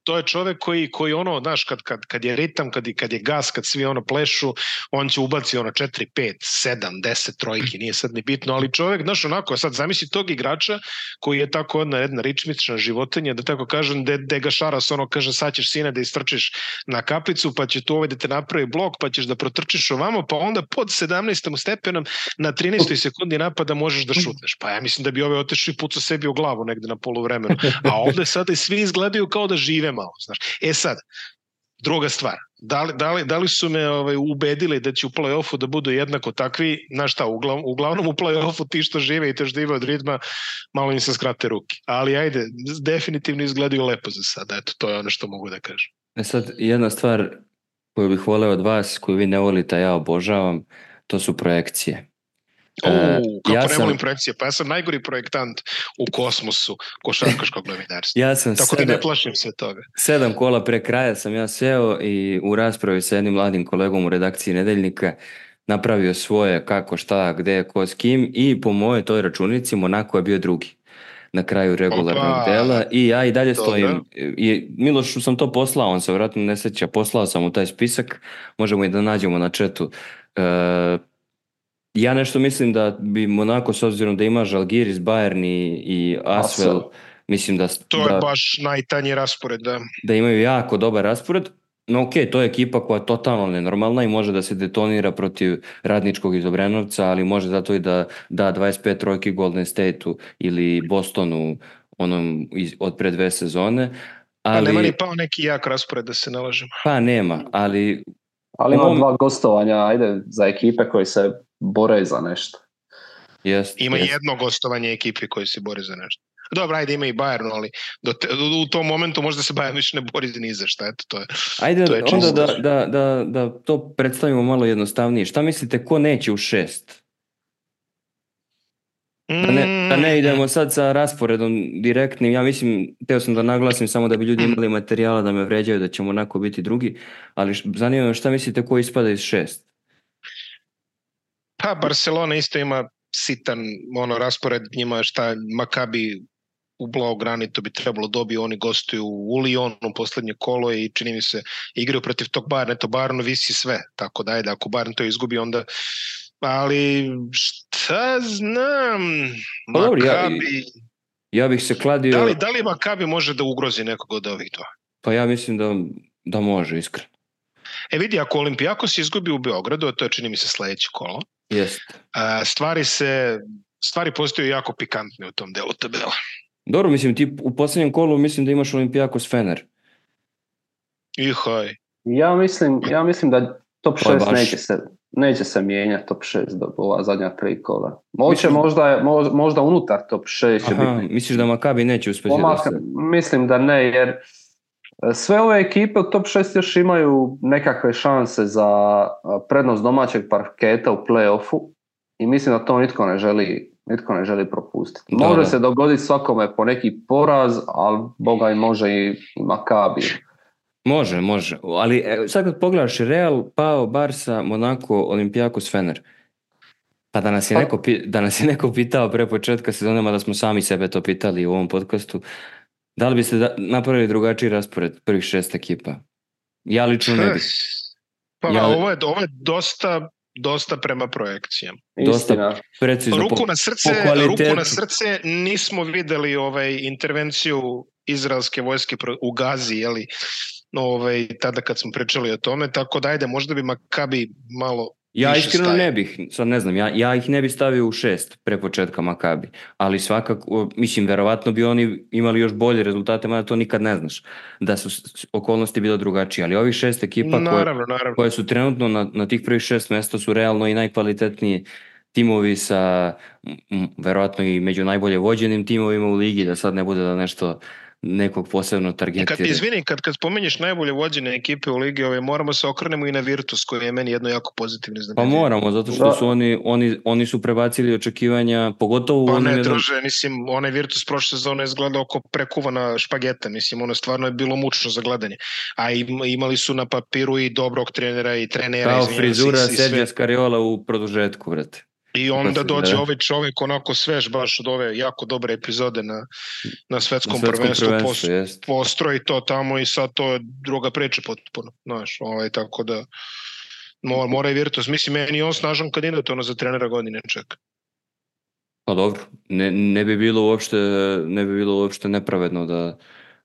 to je čovek koji ono, znaš, kad je ritam, kad je gas, kad svi ono plešu, on će ubaci ono 4, 5, 7, 10 trojki, nije sad ni bitno, ali čovek, znaš, onako, sad zamisli tog igrača koji je tako jedna ričmična životinja, da tako kažem, de ga Šaras ono kaže, sad ćeš sine da istrčiš na kaplicu, pa će tu da te napravi blok, pa ćeš da protrčiš ovamo, pa onda pod 17. stepenom na 13. sekundi napada možeš da šutneš. Pa ja mislim da bi ove otešao i pucao sebi u glavu negde na poluvremenu. A ovde sada i svi izgledaju kao da žive malo. Znaš. Sad, druga stvar, da li su me ubedili da će u play-offu da budu jednako takvi, znaš šta, uglavnom u play-offu ti što žive i te što žive od ritma, malo im se skrate ruke. Ali ajde, definitivno izgledaju lepo za sada, eto, to je ono što mogu da kažem. Sad, jedna stvar koju bih voleo od vas, koju vi ne volite, a ja obožavam, to su projekcije. Kako ne volim projekcije? Pa ja sam najgori projektant u kosmosu košarkaškog novinarstva. Tako da ne plašim se toga. 7 kola pre kraja sam ja seo i u raspravi sa jednim mladim kolegom u redakciji Nedeljnika napravio svoje kako, šta, gde, ko, s kim i po mojoj toj računici Monako je bio drugi na kraju regularnog dela i ja i dalje stojim. I Milošu sam to poslao, on se vjerojatno ne sjeća, poslao sam u taj spisak, možemo i da nađemo na chatu. Ja nešto mislim da bi Monako, s obzirom da ima Žalgiris, Bayern i Asvel, mislim da... To je baš najtanji raspored, da. Da imaju jako dobar raspored, no okej, to je ekipa koja je totalno nenormalna i može da se detonira protiv Radničkog iz Obrenovca, ali može zato i da 25 trojki Golden State-u ili Bostonu od pre 2 sezone. Ali... Pa nema ni pao neki jak raspored, da se nalažemo. Pa nema, ali... Ali ima 2 gostovanja, ajde, za ekipe koji se bore za nešto. Ima jedno gostovanje ekipe koji se bore za nešto. Dobro, ajde, ima i Bayern, ali u tom momentu možda se Bayern više ne bori ni za šta, eto, to je. Ajde, to je onda da to predstavimo malo jednostavnije. Šta mislite, ko neće u 6? Da ne idemo sad sa rasporedom direktnim, ja mislim, teo sam da naglasim samo da bi ljudi imali materijala da me vređaju, da ćemo onako biti drugi, ali zanima me šta mislite ko ispada iz 6? Pa Barcelona isto ima sitan raspored, njima šta Makabi u Blaugrani to bi trebalo dobiti, oni gostuju u Lyonu poslednje kolo i čini mi se igraju protiv tog Bayerna, eto Bayernu visi sve, tako da ajde, ako Bayern to izgubi onda, ali šta znam, Makabi... Ja bih se kladio... Da li Makabi može da ugrozi nekog od ovih dva? Pa ja mislim da može, iskreno. Vidi, ako Olimpijakos izgubi u Beogradu, a to je čini mi se sledeće kolo, stvari postaju jako pikantne u tom delu tabela. Dobro, mislim, ti u posljednjem kolu mislim da imaš Olimpijakos Fener. Ihaj. Ja mislim da top 6 neće se mijenjati top 6 do ova zadnja 3 kola. Možda unutar top 6 će biti. Misliš da Makabi neće uspjeti? Mislim da ne, jer sve ove ekipe u top 6 još imaju nekakve šanse za prednost domaćeg parketa u play-offu i mislim da to nitko ne želi propustiti. Može se dogoditi svakome po neki poraz, ali boga i može i Makabi. Može, ali sad kad pogledaš Real, Pau, Barca, Monako, Olimpijakos, Fener. Pa da nas je neko pitao pre početka sezone, da smo sami sebe to pitali u ovom podcastu, da li biste napravili drugačiji raspored prvih 6 ekipa? Ja lično ne bih. Pa ovo je dosta prema projekcijama. Dosta precizno. Ruku na srce, nismo videli intervenciju izraelske vojske u Gazi, jeli, tada kad smo pričali o tome, tako da ajde, možda bi Makabi malo... Ja iskreno ne bih, sad ne znam, ja ih ne bih stavio u 6 pre početka Makabi, ali svakako, mislim, verovatno bi oni imali još bolje rezultate, mada to nikad ne znaš, da su okolnosti bile drugačije, ali ovih 6 ekipa koje su trenutno na tih prvih 6 mesta su realno i najkvalitetniji timovi sa verovatno i među najbolje vođenim timovima u ligi, da sad ne bude da nešto nekog posebno targetira. Kad spomenješ najbolje vođene ekipe u ligi, moramo se okrenemo i na Virtus, koji je meni jedno jako pozitivno iznenađenje. Pa moramo, zato što su oni su prebacili očekivanja, pogotovo... Pa ne, druže, mislim, onaj Virtus prošle sezone izgledao oko prekuvana špageta, mislim, ono stvarno je bilo mučno za gledanje. A imali su na papiru i dobrog trenera i trenera. Kao frizura Sergio Scariola u produžetku, vrate. I onda dođe ovaj čovjek onako svež baš od ove jako dobre epizode na svetskom prvenstvu, postroji to tamo i sad to je druga priča potpuno, znaš, tako da mora i Virtus, mislim, meni je on snažan kandidat za trenera godine čeka. Pa dobro, ne bi bilo uopšte nepravedno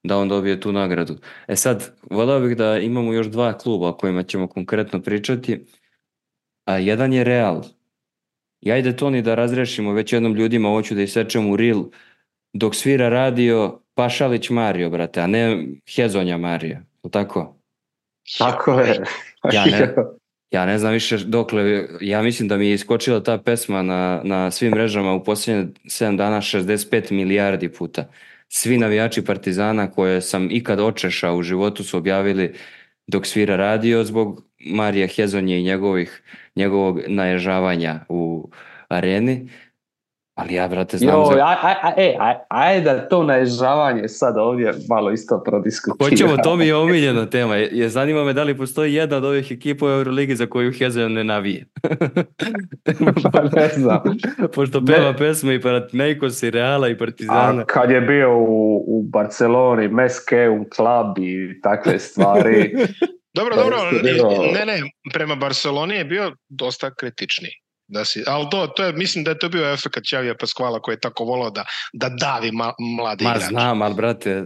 da on dobije tu nagradu. Sad, voleo bih da imamo još 2 kluba o kojima ćemo konkretno pričati, a jedan je Real. I ajde to ni da razrešimo već jednom ljudima, hoću da isečem u reel, dok svira radio Pašalić Mario, brate, a ne Hezonja Mario, tako? Tako je. Ja ne znam više dokle, ja mislim da mi je iskočila ta pesma na svim mrežama u posljednje 7 dana 65 milijardi puta. Svi navijači Partizana koje sam ikad očešao u životu su objavili dok svira radio zbog Marija Hezonje i njegovog naježavanja u areni. Ali ja, brate, znam ajde da to naježavanje sad ovdje malo isto prodiskutiramo. Hoćemo, to mi je omiljena tema. Zanima me da li postoji jedna od ovih ekipa u Euroligi za koju Hezonja ne navije. Pa ne znam. Pošto peva pesme i Panathinaikos i Reala i Partizana. A kad je bio u Barceloni, Meskeum Club i takve stvari. Dobro, ne, prema Barceloni je bio dosta kritični. Ali to je, mislim da je to bio efekat Xavija Pascuala koji je tako volao da davi mlade igrače. Znam, ali brate,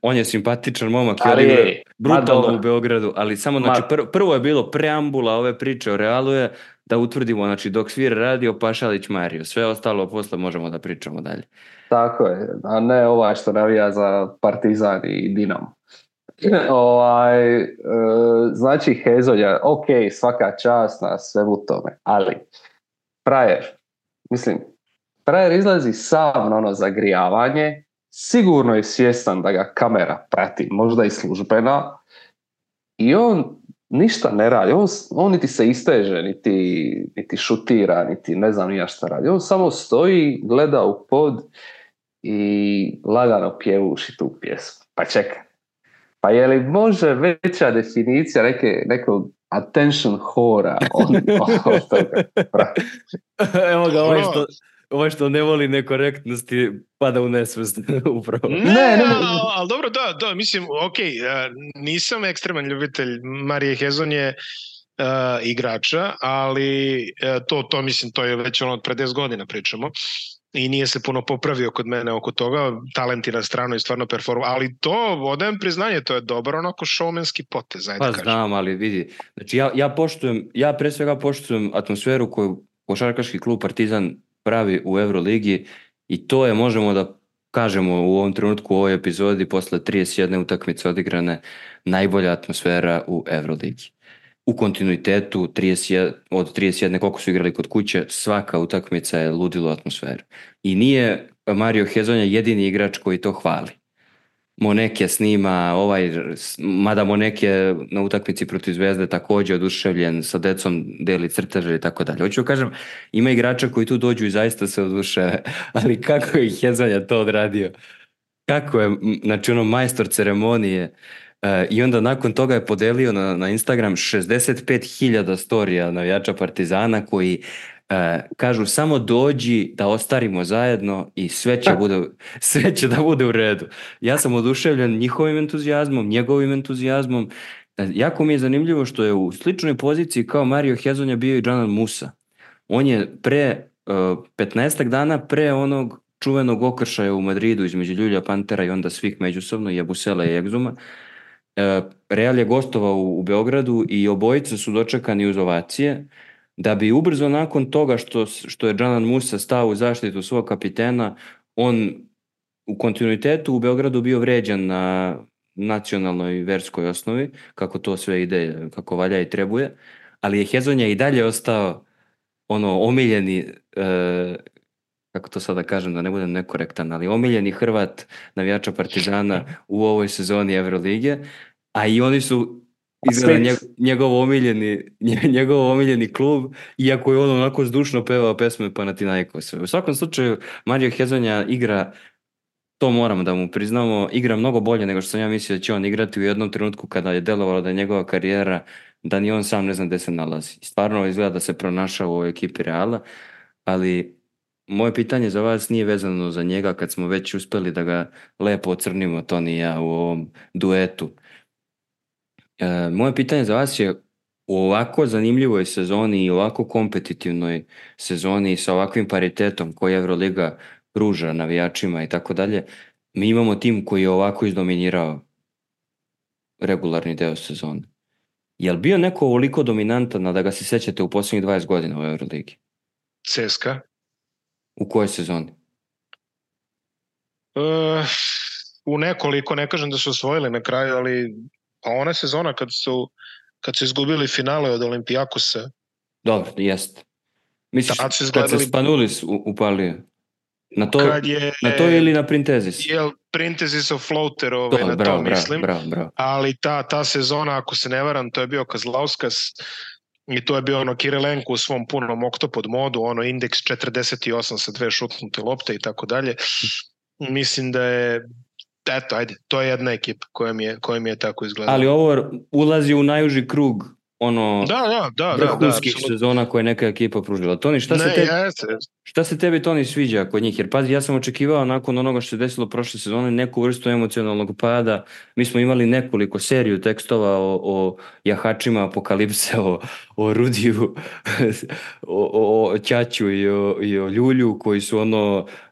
on je simpatičan momak i igra brutalno u Beogradu, ali samo, znači, prvo je bilo preambula ove priče o Realu je da utvrdimo, znači, dok svira radio Pašalić Mario, sve ostalo posle možemo da pričamo dalje. Tako je, a ne što navija za Partizan i Dinamo. Znači Hezonja, ok, svaka čast na svemu tome, ali frajer izlazi sam na ono zagrijavanje, sigurno je svjestan da ga kamera prati, možda i službena, i on ništa ne radi, on niti se isteže, niti šutira, niti ne znam nija šta radi, on samo stoji, gleda u pod i lagano pjevuši tu pjesmu. Pa čekaj, pa je li može veća definicija nekog attention hora od toga? Evo ga, ovo što ne voli nekorektnosti pada u nesvest upravo. Ne, ali dobro, da, mislim, ok, nisam ekstreman ljubitelj Marije Hezonje igrača, ali to mislim, to je već od pre 10 godina pričamo. I nije se puno popravio kod mene oko toga, talenti na stranu i stvarno performa, ali to, odajem priznanje, to je dobro onako showmanski potez, Pa znam, ali vidi, znači ja pre svega poštujem atmosferu koju košarkaški klub Partizan pravi u Euroligi i to je, možemo da kažemo u ovom trenutku, u ovoj epizodi, posle 31 utakmice odigrane, najbolja atmosfera u Euroligi. U kontinuitetu od 31 koliko su igrali kod kuće, svaka utakmica je ludilo atmosfera. I nije Mario Hezonja jedini igrač koji to hvali. Moneke snima, mada Moneke na utakmici protiv Zvezde također oduševljen, sa decom deli crteže i tako dalje. Hoću kažem, ima igrača koji tu dođu i zaista se oduševe, ali kako je Hezonja to odradio? Kako je, znači majstor ceremonije, i onda nakon toga je podelio na Instagram 65.000 storija navijača Partizana koji kažu samo dođi da ostarimo zajedno i sve će da bude u redu. Ja sam oduševljen njihovim entuzijazmom, njegovim entuzijazmom. Jako mi je zanimljivo što je u sličnoj poziciji kao Mario Hezonja bio i Džanan Musa. On je pre 15 dana pre onog čuvenog okršaja u Madridu između Ljulja Pantera i onda svih međusobno, Jabusela i Egzuma, Real je gostovao u Beogradu i obojice su dočekani uz ovacije, da bi ubrzo nakon toga što je Džanan Musa stao u zaštitu svog kapitena, on u kontinuitetu u Beogradu bio vređan na nacionalnoj i verskoj osnovi, kako to sve ide, kako valja i trebuje, ali je Hezonja i dalje ostao omiljeni, kako to sada kažem da ne budem nekorektan, ali omiljeni Hrvat navijača Partizana u ovoj sezoni Evrolige, a i oni su izgleda njegov omiljeni klub, iako je on onako zdušno pevao pesme Panathinaikosa. U svakom slučaju, Mario Hezonja igra, to moramo da mu priznamo, igra mnogo bolje nego što sam ja mislio da će on igrati u jednom trenutku kada je delovalo da je njegova karijera da ni on sam ne zna gdje se nalazi. Stvarno izgleda da se pronašao u ovoj ekipi Reala, ali moje pitanje za vas nije vezano za njega kad smo već uspjeli da ga lepo ocrnimo, Toni i ja, u ovom duetu. Moje pitanje za vas je, u ovako zanimljivoj sezoni i ovako kompetitivnoj sezoni sa ovakvim paritetom koji Euroliga pruža navijačima i tako dalje, mi imamo tim koji je ovako izdominirao regularni deo sezone. Je li bio neko ovoliko dominantan, a da ga se sjećate u posljednjih 20 godina u Euroligi? CSKA. U kojoj sezoni? U nekoliko, ne kažem da su osvojili na kraju, ali pa ona sezona kad su izgubili finale od Olimpijakosa. Dobro, jest. Misliš, kad se Spanulis upalio? Na to ili na Printezis? Printezisov floater, mislim. Bravo. Ali ta sezona, ako se ne varam, to je bio Kazlauskas i to je bio Kirilenko u svom punom oktopod modu, indeks 48 sa 2 šutnute lopte i tako dalje. Mislim da je to je jedna ekipa koja mi je tako izgledala. Ali ovo ulazi u najuži krug vrhunskih sezona koje neka ekipa pružila. Toni, šta se tebi, Toni, sviđa kod njih? Jer pazi, ja sam očekivao nakon onoga što se desilo prošle sezone neku vrstu emocionalnog pada. Mi smo imali nekoliko seriju tekstova o jahačima apokalipse, o Rudiju, o Ćaću i o Ljulju koji su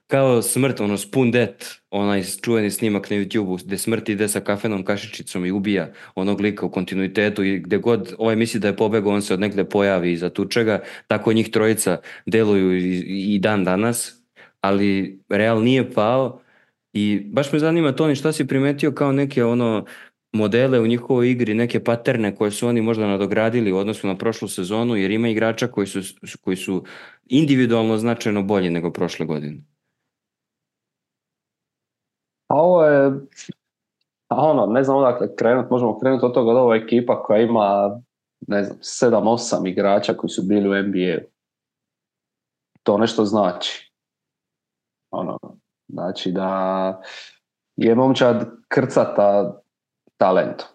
kao smrt, Spoon Death, onaj čuveni snimak na YouTube-u gdje smrt ide sa kafenom kašičicom i ubija onog lika u kontinuitetu i gdje god ovaj misli da je pobegao, on se od negdje pojavi iza tučega, tako njih trojica deluju i dan danas, ali Real nije pao i baš me zanima, Toni, šta si primetio kao neke modele u njihovoj igri, neke paterne koje su oni možda nadogradili u odnosu na prošlu sezonu, jer ima igrača koji su individualno značajno bolji nego prošle godine. A ovo je, ne znam odakle krenuti, možemo krenuti od toga da ova ekipa koja ima, 7-8 igrača koji su bili u NBA-u. To nešto znači. Znači da je momčad krcata talentu.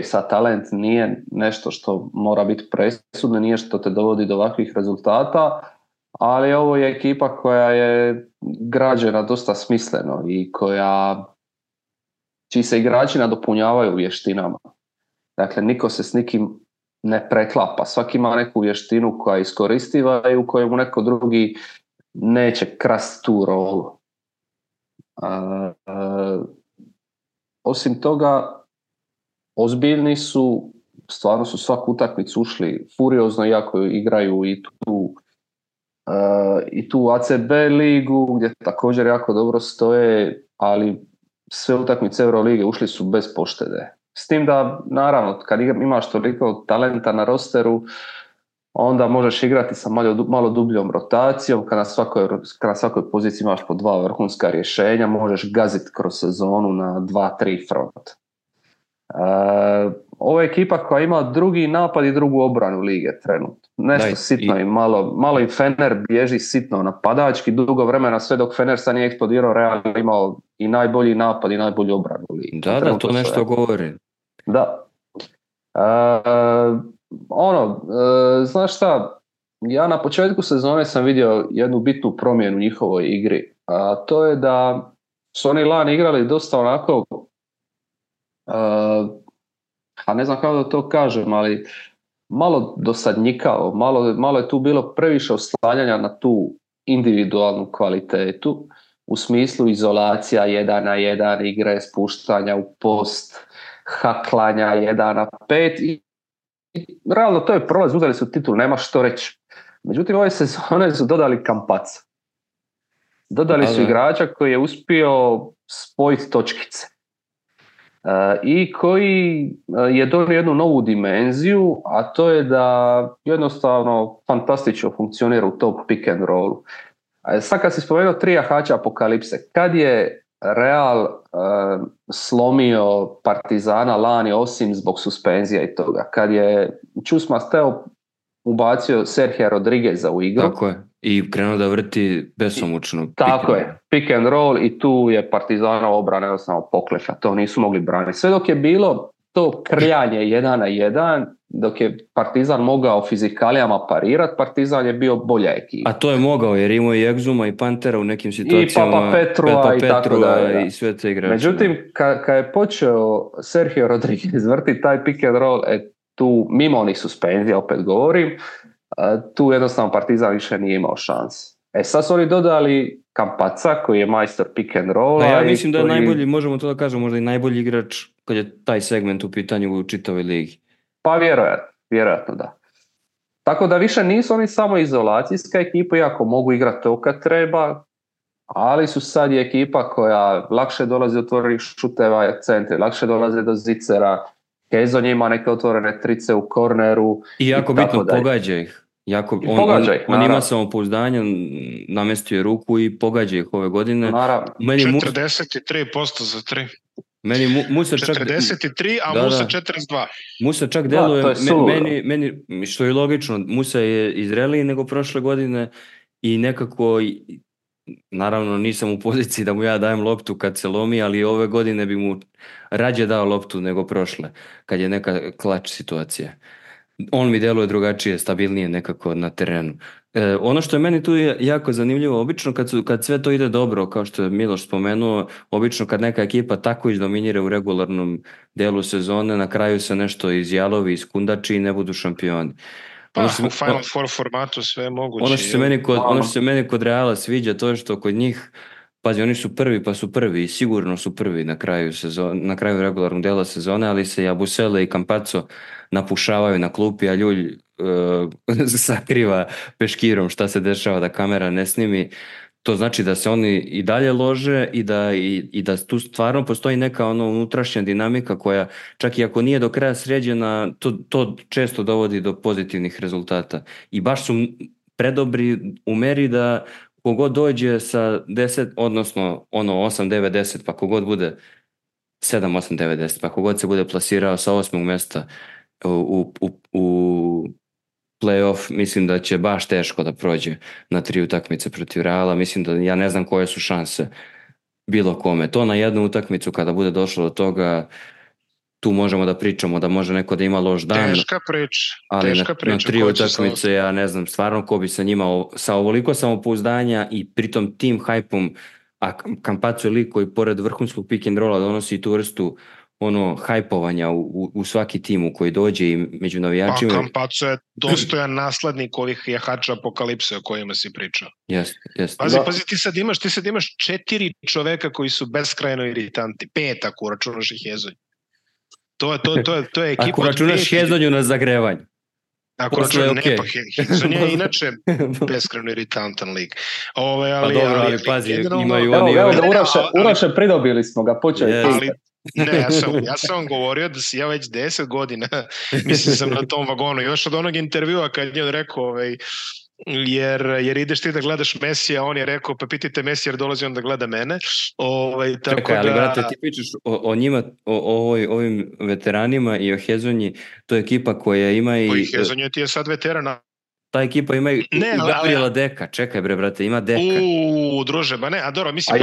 Sad talent nije nešto što mora biti presudno, nije što te dovodi do ovakvih rezultata, ali ovo je ekipa koja je građena dosta smisleno i čiji se igrači nadopunjavaju vještinama. Dakle, niko se s nikim ne preklapa. Svaki ima neku vještinu koja je iskoristiva i u kojemu neko drugi neće krasti tu rolu. Osim toga, ozbiljni su, stvarno su svaku utakmicu ušli furiozno, iako igraju i tu ACB ligu gdje također jako dobro stoje, ali sve utakmice Eurolige ušli su bez poštede. S tim da, naravno, kad imaš toliko talenta na rosteru, onda možeš igrati sa malo dubljom rotacijom, kad na svakoj poziciji imaš po 2 vrhunska rješenja, možeš gaziti kroz sezonu na 2-3 front. Ovo je ekipa koja ima drugi napad i drugu obranu lige trenutno. Nešto sitno i malo i Fener bježi sitno napadački dugo vremena, sve dok Fener sad nije eksplodirao, Real imao i najbolji napad i najbolju obranu lige. Da, to nešto govori. Da. Znaš šta, ja na početku sezone sam vidio jednu bitnu promjenu u njihovoj igri, a to je da su oni lani igrali dosta onako, a ne znam kako da to kažem, ali malo dosadnjikao, malo je tu bilo previše oslanjanja na tu individualnu kvalitetu, u smislu izolacija 1-1, igre, spuštanja u post, haklanja 1-5 i realno to je prolaz, uzeli su titul, nema što reći. Međutim, ove sezone su dodali Kampaca. Dodali su igrača koji je uspio spojiti točkice. I koji je donio jednu novu dimenziju, a to je da jednostavno fantastično funkcionira u top pick and rollu. Sad kad si spomenuo 3 jahača apokalipse, kad je Real slomio Partizana lani osim zbog suspenzija i toga, kad je Chus Mateo ubacio Sergio Rodrigueza u igru. Tako je. I krenuo da vrti besomučno. Tako je, pick and roll i tu je Partizanova obrana jednostavno pokleša, to nisu mogli braniti. Sve dok je bilo to krljanje 1-1, dok je Partizan mogao fizikalijama parirati, Partizan je bio bolja ekipa. A to je mogao jer imao i Egzuma i Pantera u nekim situacijama. I Papa Petrua i tako da. I sve te igrače. Međutim, kad je počeo Sergio Rodriguez vrti taj pick and roll, tu mimo onih suspenzija, opet govorim, tu jednostavno Partizan više nije imao šans. Sad su oni dodali Campazza koji je majstor pick and rolla. Ja mislim da je najbolji, možemo to da kažemo, možda i najbolji igrač kad je taj segment u pitanju u čitavoj ligi. Pa vjerojatno da. Tako da više nisu oni samo izolacijska ekipa, iako mogu igrati to kad treba, ali su sad i ekipa koja lakše dolazi do otvorenih šuteva centri, lakše dolaze do zicera, Hezonja ima neke otvorene trice u korneru. I jako bitno pogađa ih. On ima samopouzdanje, namestio je ruku i pogađa ih ove godine. 43% za 3. Meni Musa čak 43, a Musa 42. Musa čak deluje, meni, što je logično, Musa je izreliji nego prošle godine i nekako, naravno nisam u poziciji da mu ja dajem loptu kad se lomi, ali ove godine bi mu rađe dao loptu nego prošle, kad je neka klač situacija. On mi deluje drugačije, stabilnije nekako na terenu. Ono što je meni tu jako zanimljivo, obično kad sve to ide dobro, kao što je Miloš spomenuo, obično kad neka ekipa tako izdominira u regularnom delu sezone, na kraju se nešto izjalovi, iskundači i ne budu šampioni. U Final Four formatu sve je moguće. Ono što se meni kod Reala sviđa, to je što kod njih, pazi, oni su prvi pa su prvi i sigurno su prvi na kraju regularnog dela sezone, ali se Jabusele i Campazzo napušavaju na klupi, a Ljulj sakriva peškirom šta se dešava da kamera ne snimi. To znači da se oni i dalje lože i da tu stvarno postoji neka unutrašnja dinamika koja, čak i ako nije do kraja sređena, to često dovodi do pozitivnih rezultata. I baš su predobri u meri da kogod dođe sa 10, odnosno 8, 9, 10, pa kogod bude 7, 8, 9, 10, pa kogod se bude plasirao sa 8. mjesta u play-off, mislim da će baš teško da prođe na 3 utakmice protiv Reala. Mislim da ja ne znam koje su šanse bilo kome. To na jednu utakmicu kada bude došlo do toga, tu možemo da pričamo da može neko da ima loš dan. Teška priča. Ali na 3 utakmice ja ne znam stvarno ko bi sa njima sa ovoliko samopouzdanja i pritom tim hajpom, a Campazzo je lik koji pored vrhunskog pick and rolla donosi tu vrstu hajpovanja u svaki tim u koji dođe i među navijačima. Pa Campazzo je dostojan naslednik ovih jahača apokalipse o kojima si pričao. Jeste. Pazi, ti sad imaš 4 čoveka koji su beskrajno iritanti. 5 ako računaš ih Hezonju. To je ekipa. Ako računaš Hezonju na zagrevanju. Ako računaš, ne, pa Hezonja je inače beskrajno iritantan lik. Ali pazi, imaju oni... Evo Uroše, pridobili smo ga, počeo je Ne, ja sam govorio da si ja već 10 godina, mislim sam na tom vagonu, još od onog intervjua kad je on rekao, jer ideš ti da gledaš Mesija, on je rekao, pa pitajte Mesija jer dolazi on da gleda mene. Tako čekaj, ali brate, ti pričaš o njima, o ovim veteranima i o Hezonji, to je ekipa koja ima i... Koji Hezonja ti je sad veterana? Ta ekipa ima i Gabriela Deka. Čekaj bre, brate, ima Deka. Druže, ba ne, a dobro, mislim...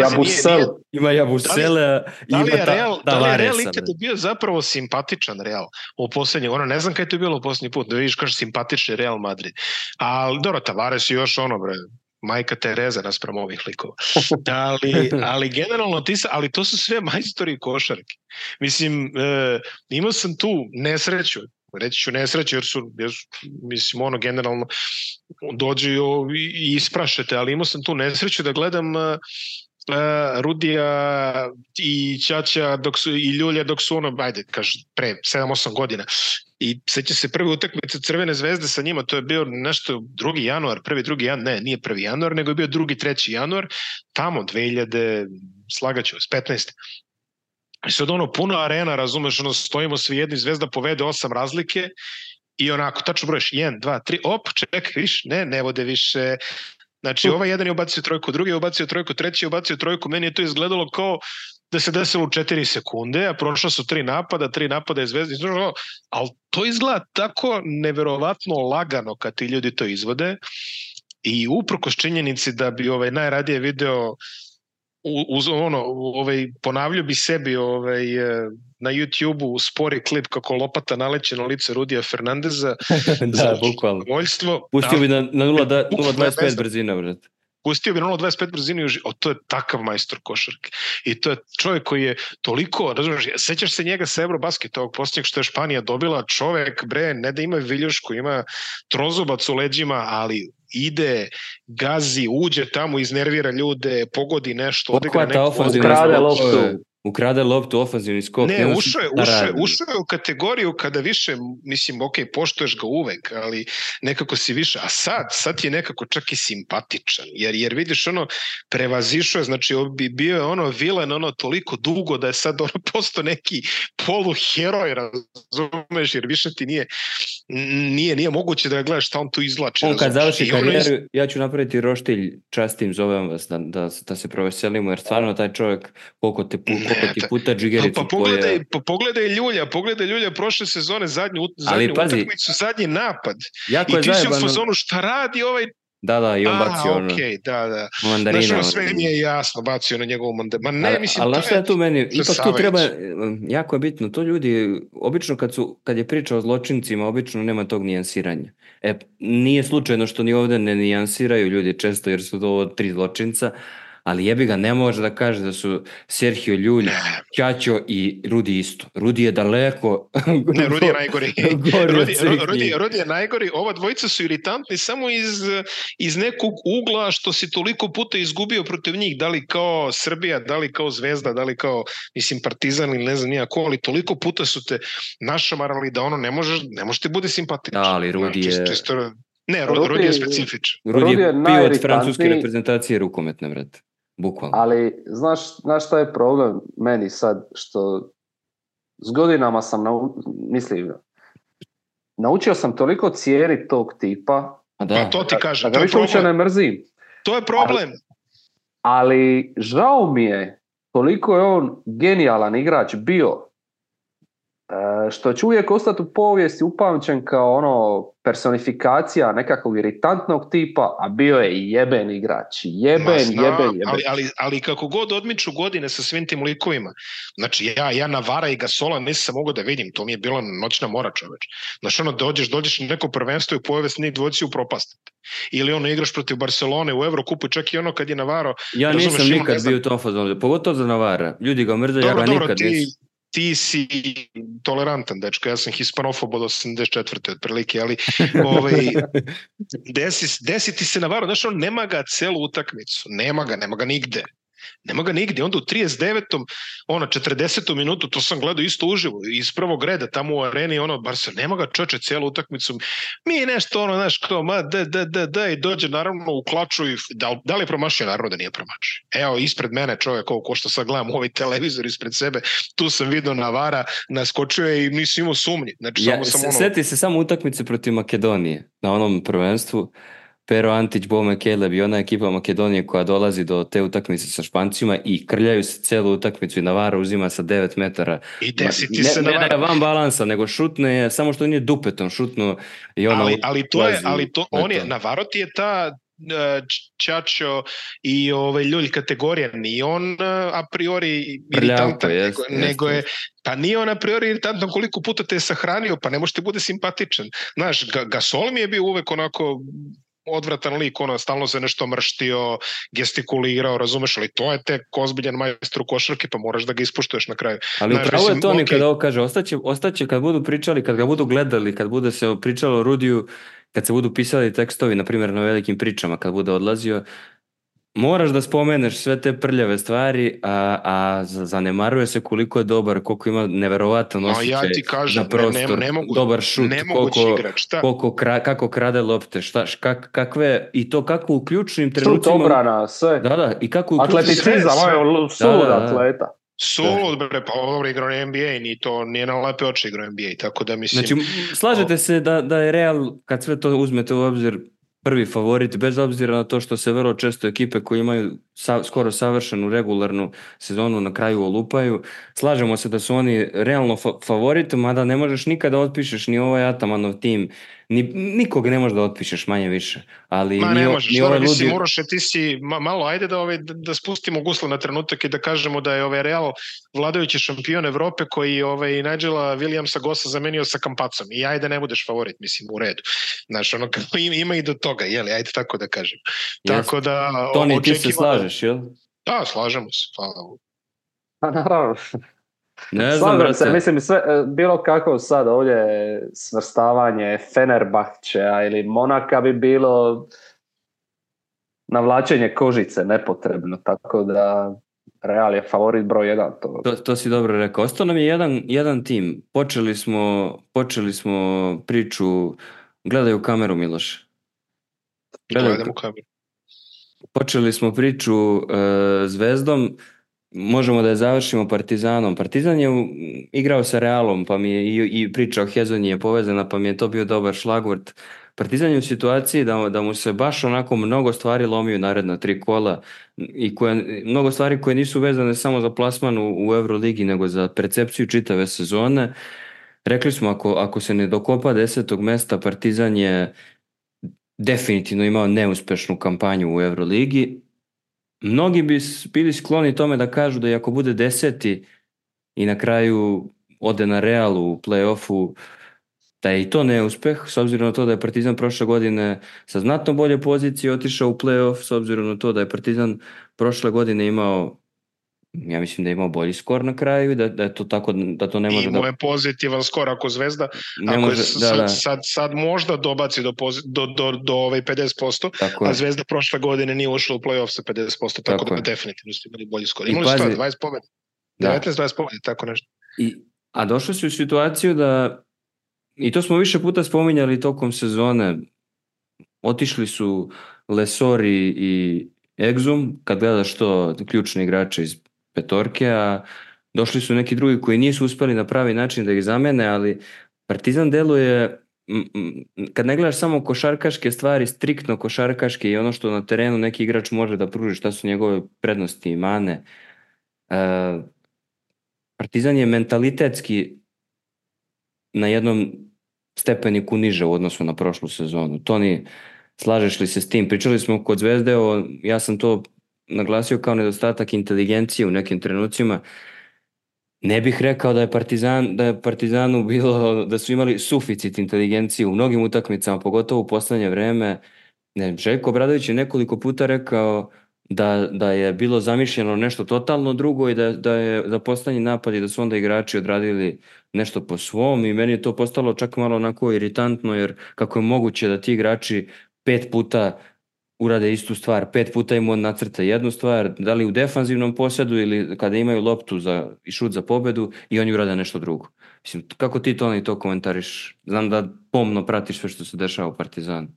Ima Jabusele, ima Tavaresa. Da li je Real ikad bio zapravo simpatičan Real u posljednji, ne znam kada je to bilo u posljednji put, da vidiš kaže simpatični Real Madrid. Ali dobro, Tavares je još bre, majka Tereza naspram ovih likova. Ali generalno, ali to su sve majstori košarke. Mislim, imao sam tu nesreću, reći ću nesreće jer su mislim generalno dođu i isprašete, ali imao sam tu nesreću da gledam Rudija i Ćaća i Ljulja dok su pre 7-8 godina i seća se prve utakmice Crvene zvezde sa njima, to je bio nešto 2. januar, 1. januar, nije 1. januar, nego je bio 2. 3. januar, tamo 2000, slagaću vas, 15. I sad puno arena, razumeš, stojimo svi jedni, Zvezda povede 8 razlike i onako, tačno brojiš 1, 2, 3, čekaj, viš, ne vode više. Znači, ovaj jedan je ubacio trojku, drugi je ubacio trojku, treći je ubacio trojku, meni je to izgledalo kao da se desilo u 4 sekunde, a prošla su 3 napada je Zvezda, ali to izgleda tako neverovatno lagano kad ti ljudi to izvode i uprkos činjenici da bi najradije video ponavljao bi sebi na YouTube-u spori klip kako lopata naleće na lice Rudija Fernandeza. Da, bukvalno. Pustio bi na 0.25 brzina, brate. Pustio bi na 0.25 brzinu, to je takav majstor košarke. I to je čovjek koji je toliko, razumiješ, sećaš se njega sa Eurobasketa, ovog posljednjeg što je Španija dobila, čovjek, ne da ima viljušku, ima trozubac u leđima, ali ide, gazi, uđe tamo, iznervira ljude, pogodi nešto, odigra neko... Ukrade loptu, ofanzivni skok. Ne, ušao je u kategoriju kada više, mislim, ok, poštuješ ga uvek, ali nekako si više, a sad je nekako čak i simpatičan, jer vidiš, prevazišao je, znači bio je vilen, toliko dugo da je sad postao neki poluheroj, razumeš, jer više ti nije moguće da ga gledaš šta on tu izvlači. On kad završi karijeru, ja ću napraviti roštilj, častim, zovem vas da se proveselimo, jer stvarno taj čovjek koliko ti puta džigericu pogledaj Ljulja prošle sezone, zadnju utakmicu, zadnji napad. I ti si u fazonu šta radi ovaj. Da, i on bacio mandarina. Znaš, sve mi je jasno, bacio na njegovu mandarinu. Ali šta je tu meni, ipak tu treba, jako je bitno, to ljudi, obično kad je priča o zločincima, obično nema tog nijansiranja. Nije slučajno što ni ovdje ne nijansiraju ljudi često, jer su to 3 zločinca, ali jebi ga, ne može da kaže da su Sergio Ljulj, Ćaćo i Rudi isto. Rudi je daleko... Ne, Rudi je najgori. Rudi je najgori. Ova dvojica su iritantni samo iz nekog ugla što si toliko puta izgubio protiv njih. Da li kao Srbija, da li kao Zvezda, da li kao, mislim, Partizan ili ne znam nijako, ali toliko puta su te našamarali da ne može ti bude simpatičan. Da, ali Rudi je... Ne, Rudi je specifičan. Rudi je pio od francuske reprezentacije rukometne, brate. Bukvalno. Ali, znaš šta je problem meni sad, što s godinama sam naučio sam toliko cijeniti tog tipa, to ti kažem, da ga više uopće ne mrzim. To je problem. Ali žao mi je koliko je on genijalan igrač bio, što će uvijek ostati u povijesti upamćen kao personifikacija nekakvog iritantnog tipa, a bio je i jeben igrač. Jeben. Ali kako god odmiču godine sa svim tim likovima, znači ja Navara i Gasola nisam mogao da vidim, to mi je bila noćna mora, čoveč. Znači dođeš na neko prvenstvo i u povijesti njih dvojici upropastite. Ili igraš protiv Barcelone u Evrokupu, čak i kad je Navaro... Ja nisam nikad bio u tom fazonu, pogotovo za Navara. Ljudi ga mrze, ja ga nikad nisam. Ti si tolerantan, dečko, ja sam hispanofob od 84. otprilike, ali desi ti se Navaro, znaš, on nema ga celu utakmicu, nema ga nigde. Onda u 39. 40. minutu, to sam gledao isto uživo, iz prvog reda, tamo u areni, Barca, nema ga čoče cijelu utakmicu. Mi je nešto, znaš, kao, i dođe naravno u klaču i da li je promašio? Naravno da nije promašio. Evo, ispred mene čovjek, ko što sad gledam ovaj televizor ispred sebe, tu sam vidio Navara, naskočio je i nisam imao sumnji. Znači, Sjeti se samo utakmice protiv Makedonije na onom prvenstvu. Pero Antić, Bome Keleb i ona ekipa Makedonije koja dolazi do te utakmice sa Špancima i krljaju se celu utakmicu i Navara uzima sa 9 metara. I desiti se Navara. Ne da je van balansa, nego šutne je, samo što nije dupetom šutno i Navaro ti je ta Ćaćo i Ljulj kategorija, nije on a priori iritantan, nego je, pa nije on a priori iritantan koliko puta te je sahranio, pa ne može ti bude simpatičan. Znaš, Gasol mi je bio uvek onako odvratan lik, stalno se nešto mrštio, gestikulirao, razumeš, ali to je tek ozbiljan majstor košarke, pa moraš da ga ispuštuješ na kraju. Ali upravo je to kada ovo kaže, ostaće kad budu pričali, kad ga budu gledali, kad bude se pričalo o Rudiju, kad se budu pisali tekstovi, na primjer na velikim pričama, kad bude odlazio, moraš da spomeneš sve te prljave stvari, a zanemaruje se koliko je dobar, koliko ima neverovatan osjećaj za prostor, dobar šut, kako krade lopte, kakve, i to kako u ključnim trenucima... Šut, obrana, sve. Da, i kako u atleticizam, sulud atleta. Sulud, pa ovo igrao na NBA, nije na lepe oči igrao NBA, tako da mislim... Znači, slažete se da je Real, kad sve to uzmete u obzir, prvi favorit, bez obzira na to što se vrlo često ekipe koje imaju skoro savršenu regularnu sezonu na kraju olupaju. Slažemo se da su oni realno favoriti, mada ne možeš nikada otpišeš ni ovaj Atamanov tim, nikog ne možeš da otpišeš manje više. Ali ne možeš, ni ovaj ludi... Mislim, Uroše, ti si malo, ajde da spustimo gusle na trenutak i da kažemo da je Real vladajući šampion Evrope koji Nigela Williamsa Gossa zamenio sa Kampacom i ajde ne budeš favorit, mislim, u redu. Znaš, ima i do toga, jeli, ajde tako da kažem. Tako da... Toni, ti se slažeš, jel? Da, slažemo se, hvala. Pa naravno. Ne znam, brate. Se, mislim, sve, bilo kako sad ovdje svrstavanje Fenerbahčea ili Monaka bi bilo navlačenje kožice nepotrebno, tako da Real je favorit broj 1. To si dobro rekao. Ostao nam je jedan tim. Počeli smo priču, gledaj u kameru, Miloš. Gledam u kameru. Počeli smo priču Zvezdom, možemo da je završimo Partizanom. Partizan je igrao sa Realom, pa mi je i priča o Hezonji je povezana, pa mi je to bio dobar šlagvort. Partizan je u situaciji da mu se baš onako mnogo stvari lomiju naredna 3 kola i mnogo stvari koje nisu vezane samo za plasman u Euroligi, nego za percepciju čitave sezone. Rekli smo, ako se ne dokopa 10. mesta, Partizan je definitivno imao neuspešnu kampanju u Euroligi. Mnogi bi bili skloni tome da kažu da i ako bude 10. i na kraju ode na Realu u play-offu, da je i to neuspeh, s obzirom na to da je Partizan prošle godine sa znatno bolje pozicije otišao u play-off, s obzirom na to da je Partizan prošle godine imao, ja mislim da je imao bolji skor na kraju i da je to tako, da to ne može da... Imao je pozitivan skor ako Zvezda, ako sad možda dobaci do 50%, a Zvezda prošle godine nije ušla u play-off sa 50%, tako da definitivno su imali bolji skor. Imali su 20 pobjeda, 19-20 pobjeda, tako nešto. A došli su u situaciju da, i to smo više puta spominjali tokom sezone, otišli su Lesori i Exum, kad gledaš to ključni igrače iz petorke, a došli su neki drugi koji nisu uspeli na pravi način da ih zamene, ali Partizan deluje, kad ne gledaš samo košarkaške stvari, striktno košarkaške i ono što na terenu neki igrač može da pruži, šta su njegove prednosti i mane. Partizan je mentalitetski na jednom stepeniku niže u odnosu na prošlu sezonu. Toni, slažeš li se s tim? Pričali smo kod Zvezde, ja sam to naglasio kao nedostatak inteligencije u nekim trenucima. Ne bih rekao da je Partizanu bilo, da su imali suficit inteligencije u mnogim utakmicama, pogotovo u poslednje vreme. Željko Obradović je nekoliko puta rekao da je bilo zamišljeno nešto totalno drugo i da je za poslednji napad i da su onda igrači odradili nešto po svom i meni je to postalo čak malo onako iritantno, jer kako je moguće da ti igrači 5 puta urade istu stvar, 5 puta im on nacrta jednu stvar, da li u defanzivnom posjedu ili kada imaju loptu i šut za pobedu i oni urade nešto drugo. Mislim, kako ti to komentariš? Znam da pomno pratiš sve što se dešava u Partizanu.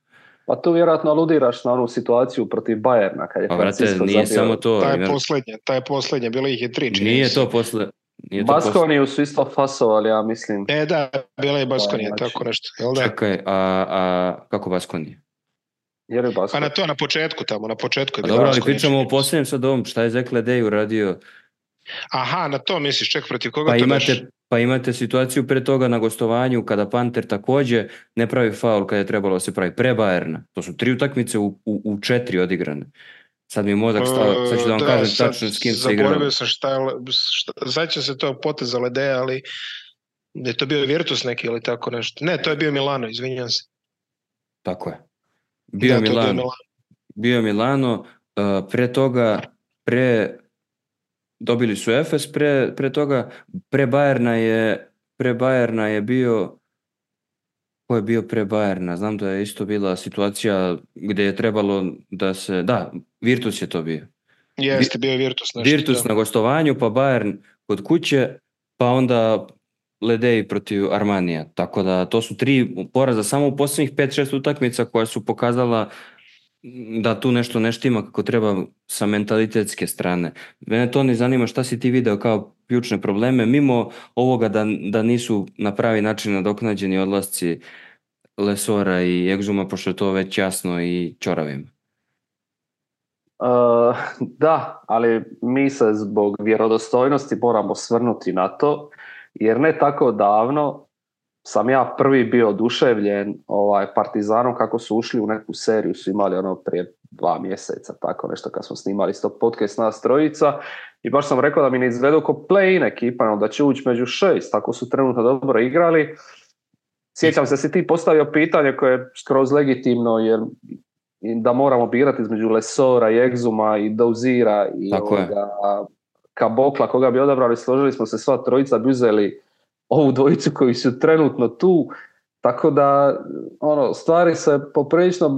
Pa tu vjerojatno aludiraš na onu situaciju protiv Bayerna kad je Francisco nije zabio. Samo to. Ta je posljednja, bilo ih je 3. Nije to posle. Baskoniju su isto fasovali, ja mislim. Da, bila je Baskonija, tako nešto. Čekaj, a kako Baskonija? Pa na početku tamo, na početku je bilo. Dobro, ali pričamo o posljednjem sad ovom, šta je Zekle Dej uradio? Aha, na to misliš, ček protiv koga to daš? Pa imate situaciju pre toga na gostovanju kada Panter takođe ne pravi faul kada je trebalo se pravi pre Bayerna. To su 3 utakmice u 4 odigrane. Sad mi je mozak stao, sad ću da vam kažem tačno s kim se igrao. Zaboravio sam sad će se to poteza Ledeja, ali je to bio Virtus neki ili tako nešto. Ne, to je bio Milano, izvinjam se. Tako je. Bio Milano, pre toga, dobili su Efes, pre toga, pre Bayerna je bio, ko je bio pre Bayerna? Znam da je isto bila situacija gdje je trebalo da se, da, Virtus je to bio. Jeste, bio je Virtus. Virtus na gostovanju, pa Bayern kod kuće, pa onda Ledej protiv Armanija. Tako da to su 3 poraza samo u posljednjih 5-6 utakmica koja su pokazala da tu nešto ne štima kako treba sa mentalitetske strane. Mene to ne zanima šta si ti video kao ključne probleme, mimo ovoga da nisu na pravi način nadoknađeni odlasci Lesora i Exuma, pošto je to već jasno i Ćoravim. Da, ali mi se zbog vjerodostojnosti moramo svrnuti na to, jer ne tako davno sam ja prvi bio oduševljen Partizanom kako su ušli u neku seriju, su imali ono prije 2 mjeseca, tako nešto kad smo snimali isto podcast nas trojica i baš sam rekao da mi ne izvedu ko play-in ekipa, da će ući među 6, tako su trenutno dobro igrali. Sjećam se si ti postavio pitanje koje je skroz legitimno, jer da moramo birati između Lesora i Exuma i Dozira i Kabokla, koga bi odabrali, složili smo se sva trojica, bi uzeli ovu dvojicu koji su trenutno tu, tako da stvari se poprilično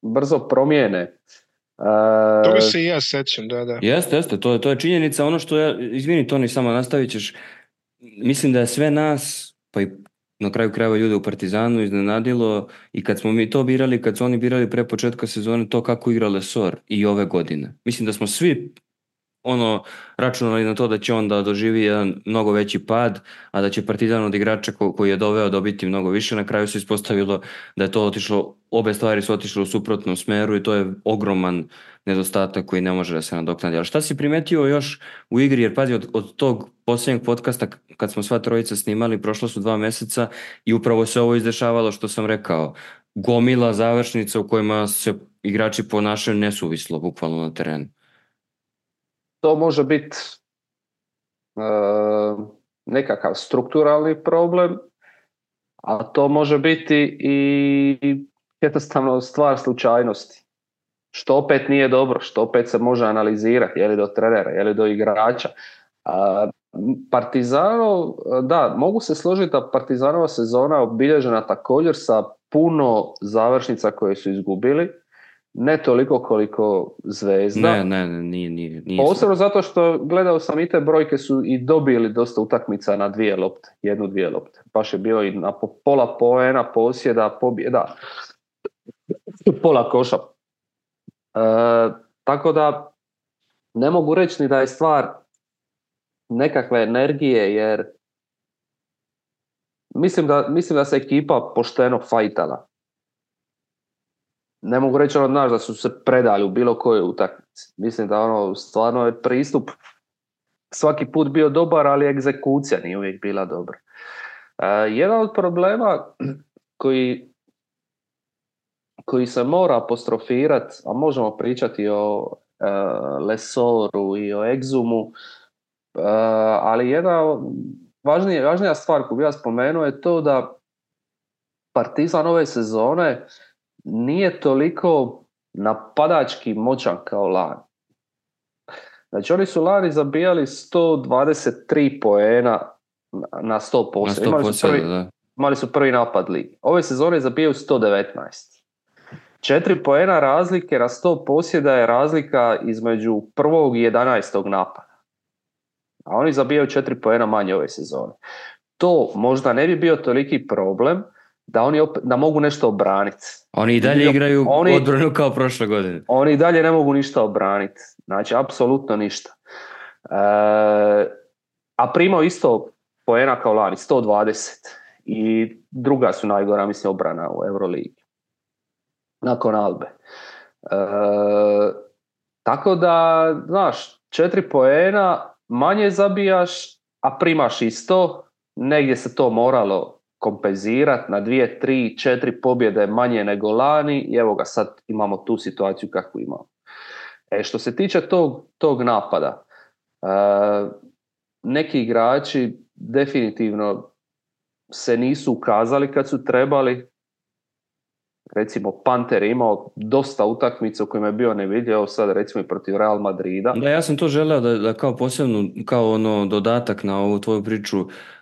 brzo promijene. Toga se i ja sećam, da. Jeste, to je činjenica. Ono što ja, izvini Toni, samo nastavit ćeš, mislim da je sve nas, pa i na kraju krajeva ljude u Partizanu iznenadilo i kad smo mi to birali, kad su oni birali pre početka sezone to kako igra Lesor i ove godine. Mislim da smo svi računali na to da će on da doživi jedan mnogo veći pad, a da će Partizan od igrača koji je doveo dobiti mnogo više. Na kraju se ispostavilo da je to otišlo, obe stvari su otišle u suprotnom smeru i to je ogroman nedostatak koji ne može da se nadoknadi. Ali šta si primetio još u igri, jer pazi, od tog posljednjeg podcasta kad smo sva trojica snimali, prošlo su 2 mjeseca i upravo se ovo izdešavalo što sam rekao. Gomila završnica u kojima se igrači ponašaju nesuvislo, bukvalno na terenu. To može biti nekakav strukturalni problem, a to može biti i jednostavno stvar slučajnosti. Što opet nije dobro, što opet se može analizirati, je li do trenera, je li do igrača. Partizanov, da, mogu se složiti da Partizanova sezona obilježena također sa puno završnica koje su izgubili, ne toliko koliko Zvezda. Ne, nije. Posebno zato što gledao sam i te brojke su i dobili dosta utakmica na 2 lopte, 1-2 lopte. Baš je bio i na pola poena, posjeda, pobjeda, pola koša. Tako da ne mogu reći ni da je stvar nekakve energije, jer mislim da se ekipa pošteno fajtala. Ne mogu reći da su se predali u bilo kojoj utakmici. Mislim da stvarno je pristup svaki put bio dobar, ali egzekucija nije uvijek bila dobra. Jedan od problema koji se mora apostrofirati, a možemo pričati o Lesoru i o Exumu, ali jedna važnija stvar koju bih ja spomenuo je to da Partizan ove sezone nije toliko napadački moćan kao lani. Znači oni su lani zabijali 123 poena na 100%. Imali su prvi napad ligi. Ove sezone zabijaju 119. 4 poena razlike na 100 posjeda je razlika između prvog i 11. napada. A oni zabijaju 4 poena manje ove sezone. To možda ne bi bio toliki problem da mogu nešto obraniti. Oni i dalje igraju odbranu kao prošle godine. Oni i dalje ne mogu ništa obraniti. Znači, apsolutno ništa. A primao isto poena kao lani, 120. I druga su najgora, mislim, obrana u Euroligi. Nakon Albe. Tako da, znaš, 4 poena manje zabijaš, a primaš isto. Negdje se to moralo kompenzirati na 2, 3, 4 pobjede manje nego lani i evo ga sad imamo tu situaciju kakvu imamo. Što se tiče tog napada, neki igrači definitivno se nisu ukazali kad su trebali. Recimo Panter je imao dosta utakmica u kojima je bio nevidljiv, sad recimo i protiv Real Madrida. Da, ja sam to želeo da kao posebno, kao dodatak na ovu tvoju priču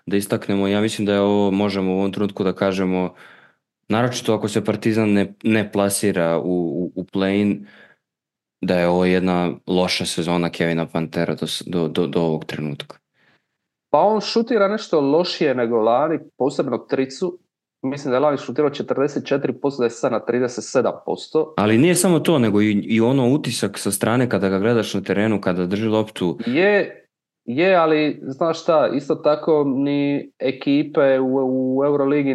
da istaknemo. Ja mislim da je ovo, možemo u ovom trenutku da kažemo, naročito ako se Partizan ne plasira u play-in, da je ovo jedna loša sezona Kevina Pantera do ovog trenutka. Pa on šutira nešto lošije nego lani, posebno tricu. Mislim da je lani šutirao 44%, da je sad na 37%. Ali nije samo to, nego i utisak sa strane kada ga gledaš na terenu, kada drži loptu. Je, ali znaš šta, isto tako ni ekipe u Euroligi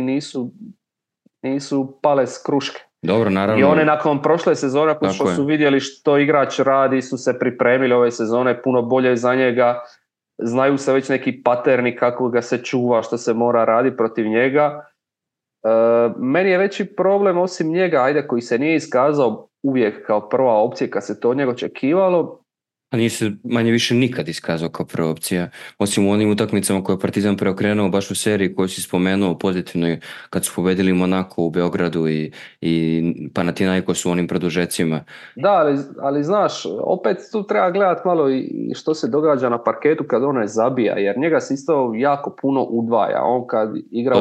nisu pale s kruške. Dobro, naravno. I one nakon prošle sezone, nakon što su vidjeli što igrač radi, su se pripremili ove sezone puno bolje za njega. Znaju se već neki paterni kako ga se čuva, što se mora raditi protiv njega. Meni je veći problem osim njega, koji se nije iskazao uvijek kao prva opcija kad se to od njega očekivalo. A nije se manje više nikad iskazao kao prva opcija, osim u onim utakmicama koje je Partizan preokrenuo baš u seriji koju si spomenuo pozitivno kad su pobedili Monako u Beogradu i Panathinaikos u onim produžecima. Da, ali znaš, opet tu treba gledati malo i što se događa na parketu kad on ne zabija, jer njega se isto jako puno udvaja. On kad igra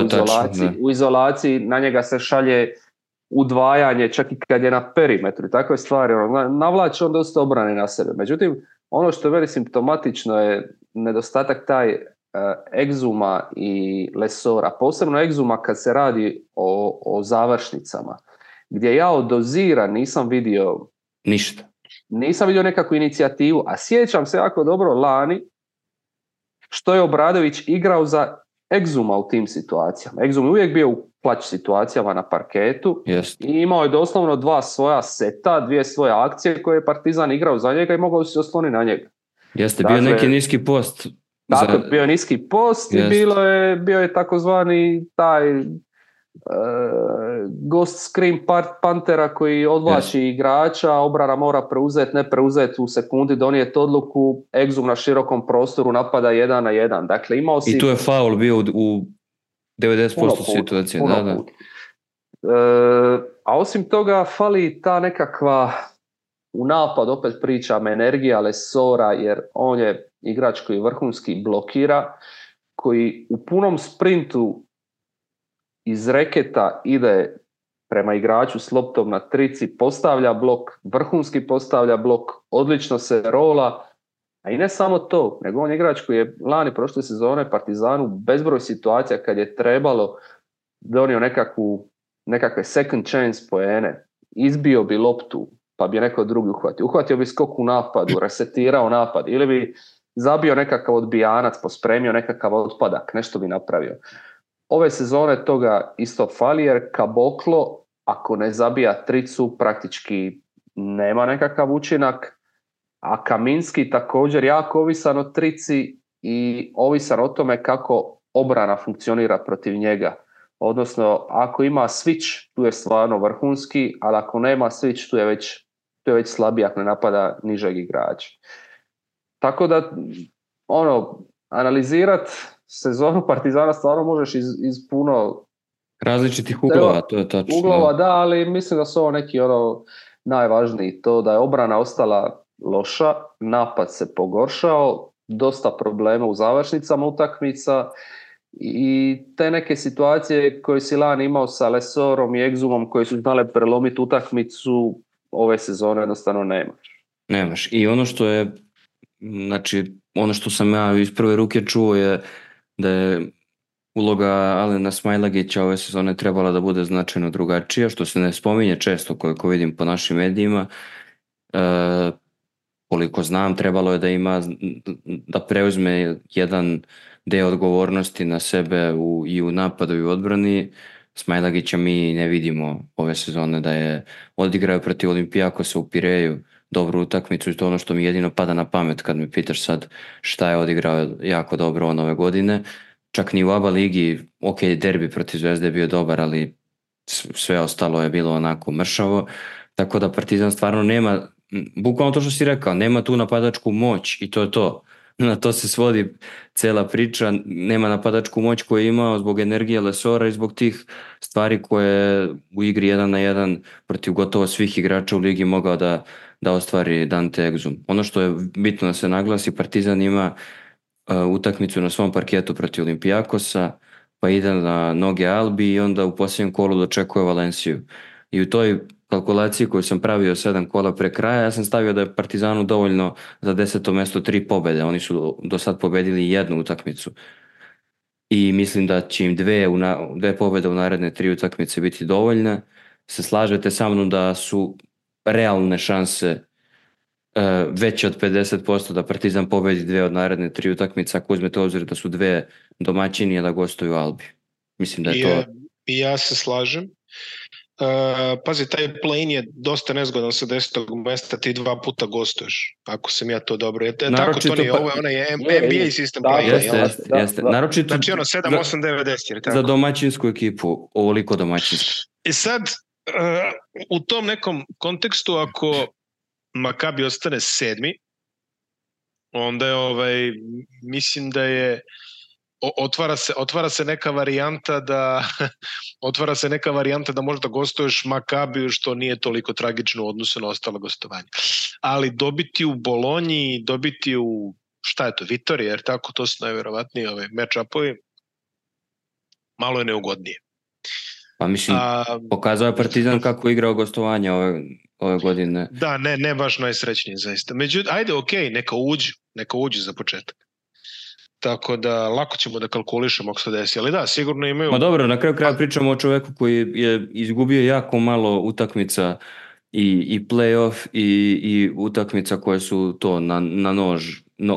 u izolaciji, na njega se šalje udvajanje, čak i kad je na perimetru i takve stvari, navlači on dosta obrane na sebe. Međutim, ono što je veli simptomatično je nedostatak taj Exuma i Lesora, posebno Exuma kad se radi o završnicama, gdje ja od dozira nisam vidio ništa. Nisam vidio nekakvu inicijativu, a sjećam se jako dobro lani što je Obradović igrao za Exuma u tim situacijama. Exum je uvijek bio u plać situacijama na parketu i imao je doslovno 2 svoja seta, 2 svoje akcije koje je Partizan igrao za njega i mogao se osloniti na njega. Jeste, dakle, bio neki niski post. Dakle, bio je niski post i bio je takozvani taj ghost screen Pantera koji odvlači igrača, obrana mora preuzeti, ne preuzeti u sekundi, donijeti odluku, Exum na širokom prostoru napada 1 na 1. Dakle, imao si... I tu je faul bio u 90% situacije. Da. A osim toga fali ta nekakva u napad, opet pričam, energija Lesora, jer on je igrač koji vrhunski blokira, koji u punom sprintu iz reketa ide prema igraču s loptom na trici, postavlja blok, vrhunski postavlja blok, odlično se rola, a i ne samo to, nego on je igrač koji je lani prošle sezone Partizanu bezbroj situacija kad je trebalo donio nekakve second chance poene, izbio bi loptu pa bi neko drugi uhvatio bi skok u napadu, resetirao napad ili bi zabio nekakav odbijanac, pospremio nekakav otpadak, nešto bi napravio. Ove sezone toga isto fali jer Kaboklo, ako ne zabija tricu, praktički nema nekakav učinak, a Kaminski također jako ovisan o trici i ovisan o tome kako obrana funkcionira protiv njega. Odnosno, ako ima switch, tu je stvarno vrhunski, ali ako nema switch, tu je već slabiji ako ne napada nižeg igrača. Tako da, analizirat sezonu Partizana stvarno možeš iz puno različitih uglova, to je točno. Uglova, da, ali mislim da su ovo neki najvažniji, to da je obrana ostala loša, napad se pogoršao, dosta problema u završnicama utakmica i te neke situacije koje si lani imao sa Lesorom i Exumom koji su znale prelomiti utakmicu, ove sezone jednostavno nemaš. I ono što je, znači, ono što sam ja iz prve ruke čuo je da je uloga Alena Smailagića ove sezone trebala da bude značajno drugačija, što se ne spominje često koliko vidim po našim medijima. Koliko znam, trebalo je da preuzme jedan deo odgovornosti na sebe i u napadu i u odbrani. Smailagića mi ne vidimo ove sezone da je odigrao protiv Olimpijakosa u Pireju dobru utakmicu i to ono što mi jedino pada na pamet kad me pitaš sad šta je odigrao jako dobro on ove godine. Čak ni u ABA ligi, ok, derbi protiv Zvezde je bio dobar, ali sve ostalo je bilo onako mršavo. Tako da Partizan stvarno nema, bukvalno to što si rekao, nema tu napadačku moć i to je to. Na to se svodi cela priča, nema napadačku moć koju je imao zbog energije Lesora i zbog tih stvari koje u igri 1 na 1 protiv gotovo svih igrača u ligi mogao da ostvari Dante Exum. Ono što je bitno da se naglasi, Partizan ima utakmicu na svom parketu protiv Olimpijakosa, pa ide na noge Albi i onda u posljednjem kolu dočekuje Valenciju. I u toj kalkulaciji koju sam pravio 7 kola pre kraja, ja sam stavio da je Partizanu dovoljno za 10. mjesto 3 pobjede. Oni su do sad pobedili 1 utakmicu. I mislim da će im 2 pobjede u naredne 3 utakmice biti dovoljne. Se slažete sa mnom da su realne šanse veće od 50% da Partizan pobedi 2 od naredne 3 utakmice, ako uzmete obzir da su 2 domaćini, a da gostuju Albi. Mislim da je to... I ja se slažem. Pazi, taj play-in je dosta nezgodan sa 10. mesta, ti 2 puta gostuješ, ako sam ja to dobro. Tako, to nije, ovo je onaj NBA sistem play-in. Jeste. Naročito, znači 7, 8, 9, 10. Za domaćinsku ekipu, ovoliko domaćinsku. I sad, u tom nekom kontekstu, ako Makabi ostane 7, onda je, mislim da je otvara se neka varijanta da možda gostuješ Makabiju, što nije toliko tragično u odnosu na ostalo gostovanje. Ali dobiti u Bolonji, dobiti u Vitorija, jer tako, to su najverovatniji match-upovi, malo je neugodnije. Pa mislim, pokazao je Partizan kako je igrao gostovanja ove godine. Da, ne baš najsrećniji zaista. Međutim, ajde, okej, neka uđu za početak. Tako da lako ćemo da kalkulišemo ako se desi, ali da, sigurno imaju... Ma dobro, na kraju kraja pričamo o čoveku koji je izgubio jako malo utakmica i play-off i utakmica koje su to na nož,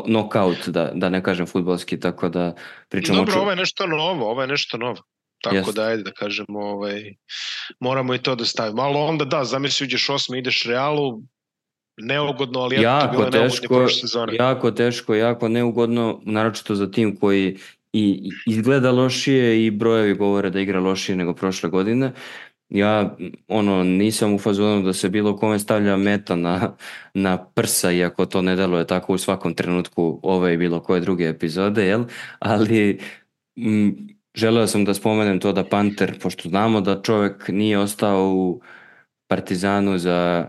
knockout, da ne kažem fudbalski, tako da pričamo... Dobro, ovo je nešto novo. Tako da, ajde da kažemo, moramo i to da stavimo. Ali onda da, zamisli uđeš 8, ideš Realu, neugodno, ali jako bilo neugodno prošle sezone. Jako teško, jako neugodno, naročito za tim koji i izgleda lošije i brojevi govore da igra lošije nego prošle godine. Ja nisam u fazonu da se bilo kome stavlja meta na prsa, iako to ne deluje tako u svakom trenutku ove i bilo koje druge epizode, jel? Ali želeo sam da spomenem to da Panter, pošto znamo da čovjek nije ostao u Partizanu za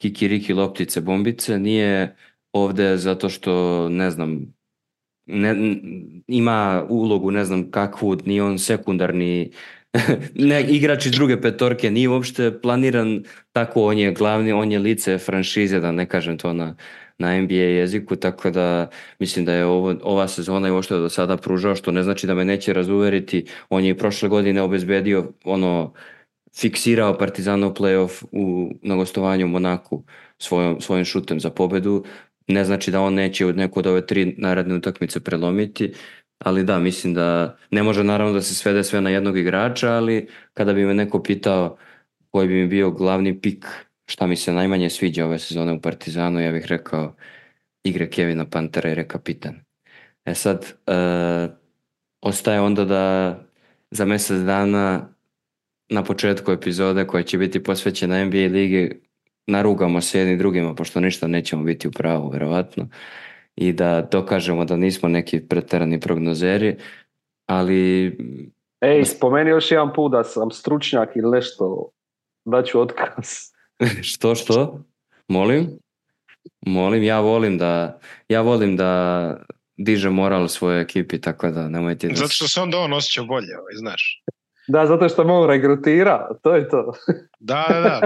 kikiriki loptice bombice, nije ovde zato što, ne znam, ima ulogu, ne znam kakvu, nije on sekundarni igrač iz druge petorke, nije uopšte planiran tako, on je glavni, on je lice franšize, da ne kažem to na NBA jeziku, tako da mislim da je ova sezona i ovo što je do sada pružao, što ne znači da me neće razuveriti, on je i prošle godine obezbedio fiksirao Partizanov play-off na gostovanju u Monaku svojim šutem za pobedu. Ne znači da on neće od neku od ove 3 naredne utakmice prelomiti, ali da, mislim da ne može naravno da se svede sve na jednog igrača, ali kada bi me neko pitao koji bi mi bio glavni pik, šta mi se najmanje sviđa ove sezone u Partizanu, ja bih rekao igre Kevina Pantera i kapitan. Sad, ostaje onda da za mjesec dana na početku epizode koja će biti posvećena NBA ligi narugamo se jedni drugima, pošto ništa nećemo biti u pravu, verovatno, i da dokažemo da nismo neki preterani prognozeri, ali... Spomeni još jedan put da sam stručnjak ili nešto, daću otkaz. Što? Molim, ja volim da diže moral svojoj ekipi, tako da nemojte... Zato što se onda on osjeća bolje, znaš. Da, zato što me on regrutira, to je to. Da,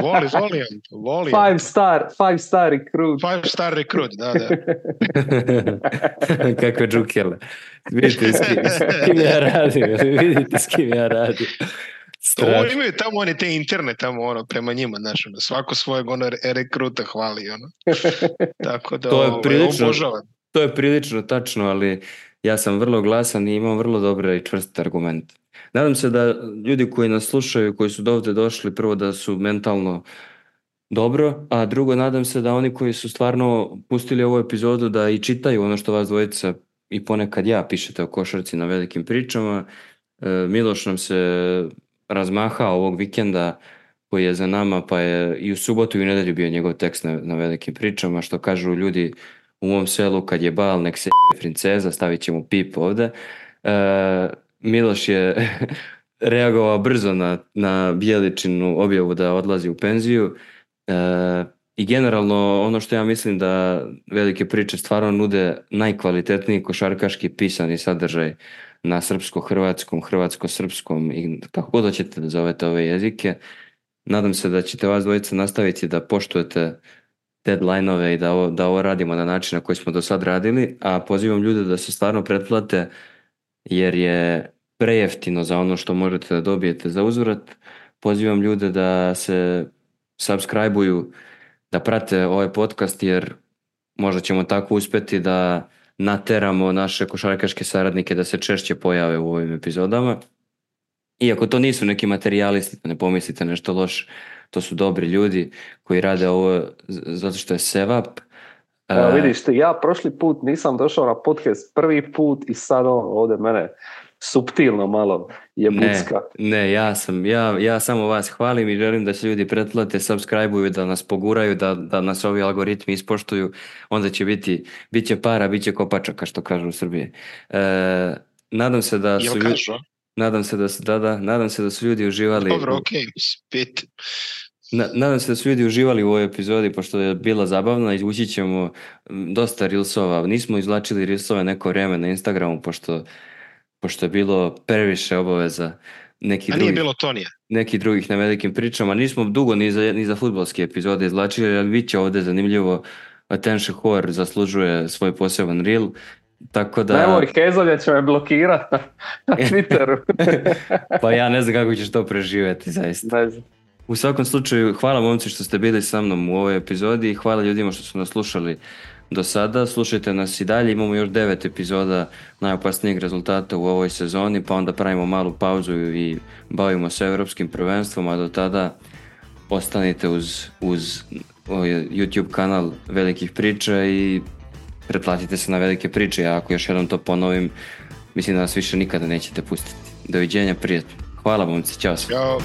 volim. Five star recruit. 5-star recruit, da. Kakve džukele. Vidite s kim ja radim. Ovo imaju tamo oni te interne tamo prema njima, znaš, svako svojeg rekruta hvali, Tako da obožavam. To je prilično tačno, ali ja sam vrlo glasan i imam vrlo dobre i čvrste argumente. Nadam se da ljudi koji nas slušaju, koji su dovde došli, prvo da su mentalno dobro, a drugo, nadam se da oni koji su stvarno pustili ovu epizodu da i čitaju ono što vas dvojica i ponekad ja pišete o košarci na velikim pričama. Miloš nam se razmahao ovog vikenda koji je za nama, pa je i u subotu i u nedelju bio njegov tekst na velikim pričama, što kažu ljudi u mom selu, kad je bal, nek se princeza, stavit ćemo pip ovde. Miloš je reagovao brzo na Bjeličinu objavu da odlazi u penziju i generalno ono što ja mislim da velike priče stvarno nude najkvalitetniji košarkaški pisani sadržaj na srpsko-hrvatskom, hrvatsko-srpskom i kako god hoćete da zovete ove jezike. Nadam se da ćete vas dvojica nastaviti da poštujete deadline-ove i da ovo radimo na način na koji smo do sad radili, a pozivam ljude da se stvarno pretplate jer je prejeftino za ono što možete da dobijete za uzvrat. Pozivam ljude da se subscribe-uju, da prate ovaj podcast jer možda ćemo tako uspjeti da nateramo naše košarkaške saradnike da se češće pojave u ovim epizodama. Iako to nisu neki materijalisti, ne pomislite nešto loše, to su dobri ljudi koji rade ovo zato što je sevap. Evo vidiš ti, ja prošli put nisam došao na podcast prvi put i sad ovdje mene suptilno malo je bucka. Ne, ja samo vas hvalim i želim da se ljudi pretplate, subscribe-uju, da nas poguraju, da nas ovi algoritmi ispoštuju, onda će bit će para, bit će kopačaka, što kažu u Srbiji. Nadam se da su nadam se da su ljudi uživali. Dobro, okej, spet. Nadam se da su ljudi uživali u ovoj epizodi, pošto je bila zabavna. Izvući ćemo dosta reelsova. Nismo izvlačili reelsove neko vrijeme na Instagramu, pošto je bilo previše obaveza nije bilo Tonija. Nekih drugih na velikim pričama. Nismo dugo ni za fudbalske epizode izvlačili, ali bit će ovdje zanimljivo. Attention Whore zaslužuje svoj poseban reel. Tako da... Nemoj, Hezolja će me blokirati na Twitteru. Pa ja ne znam kako ćeš to preživjeti, zaista. Ne znam. U svakom slučaju, hvala momci što ste bili sa mnom u ovoj epizodi i hvala ljudima što su nas slušali do sada. Slušajte nas i dalje, imamo još 9 epizoda najopasnijeg rezultata u ovoj sezoni, pa onda pravimo malu pauzu i bavimo se europskim prvenstvom, a do tada ostanite uz YouTube kanal Velikih priča i pretplatite se na Velike priče. Ja ako još jednom to ponovim, mislim da nas više nikada nećete pustiti. Doviđenja, prijatno. Hvala momci, čao. Ćao.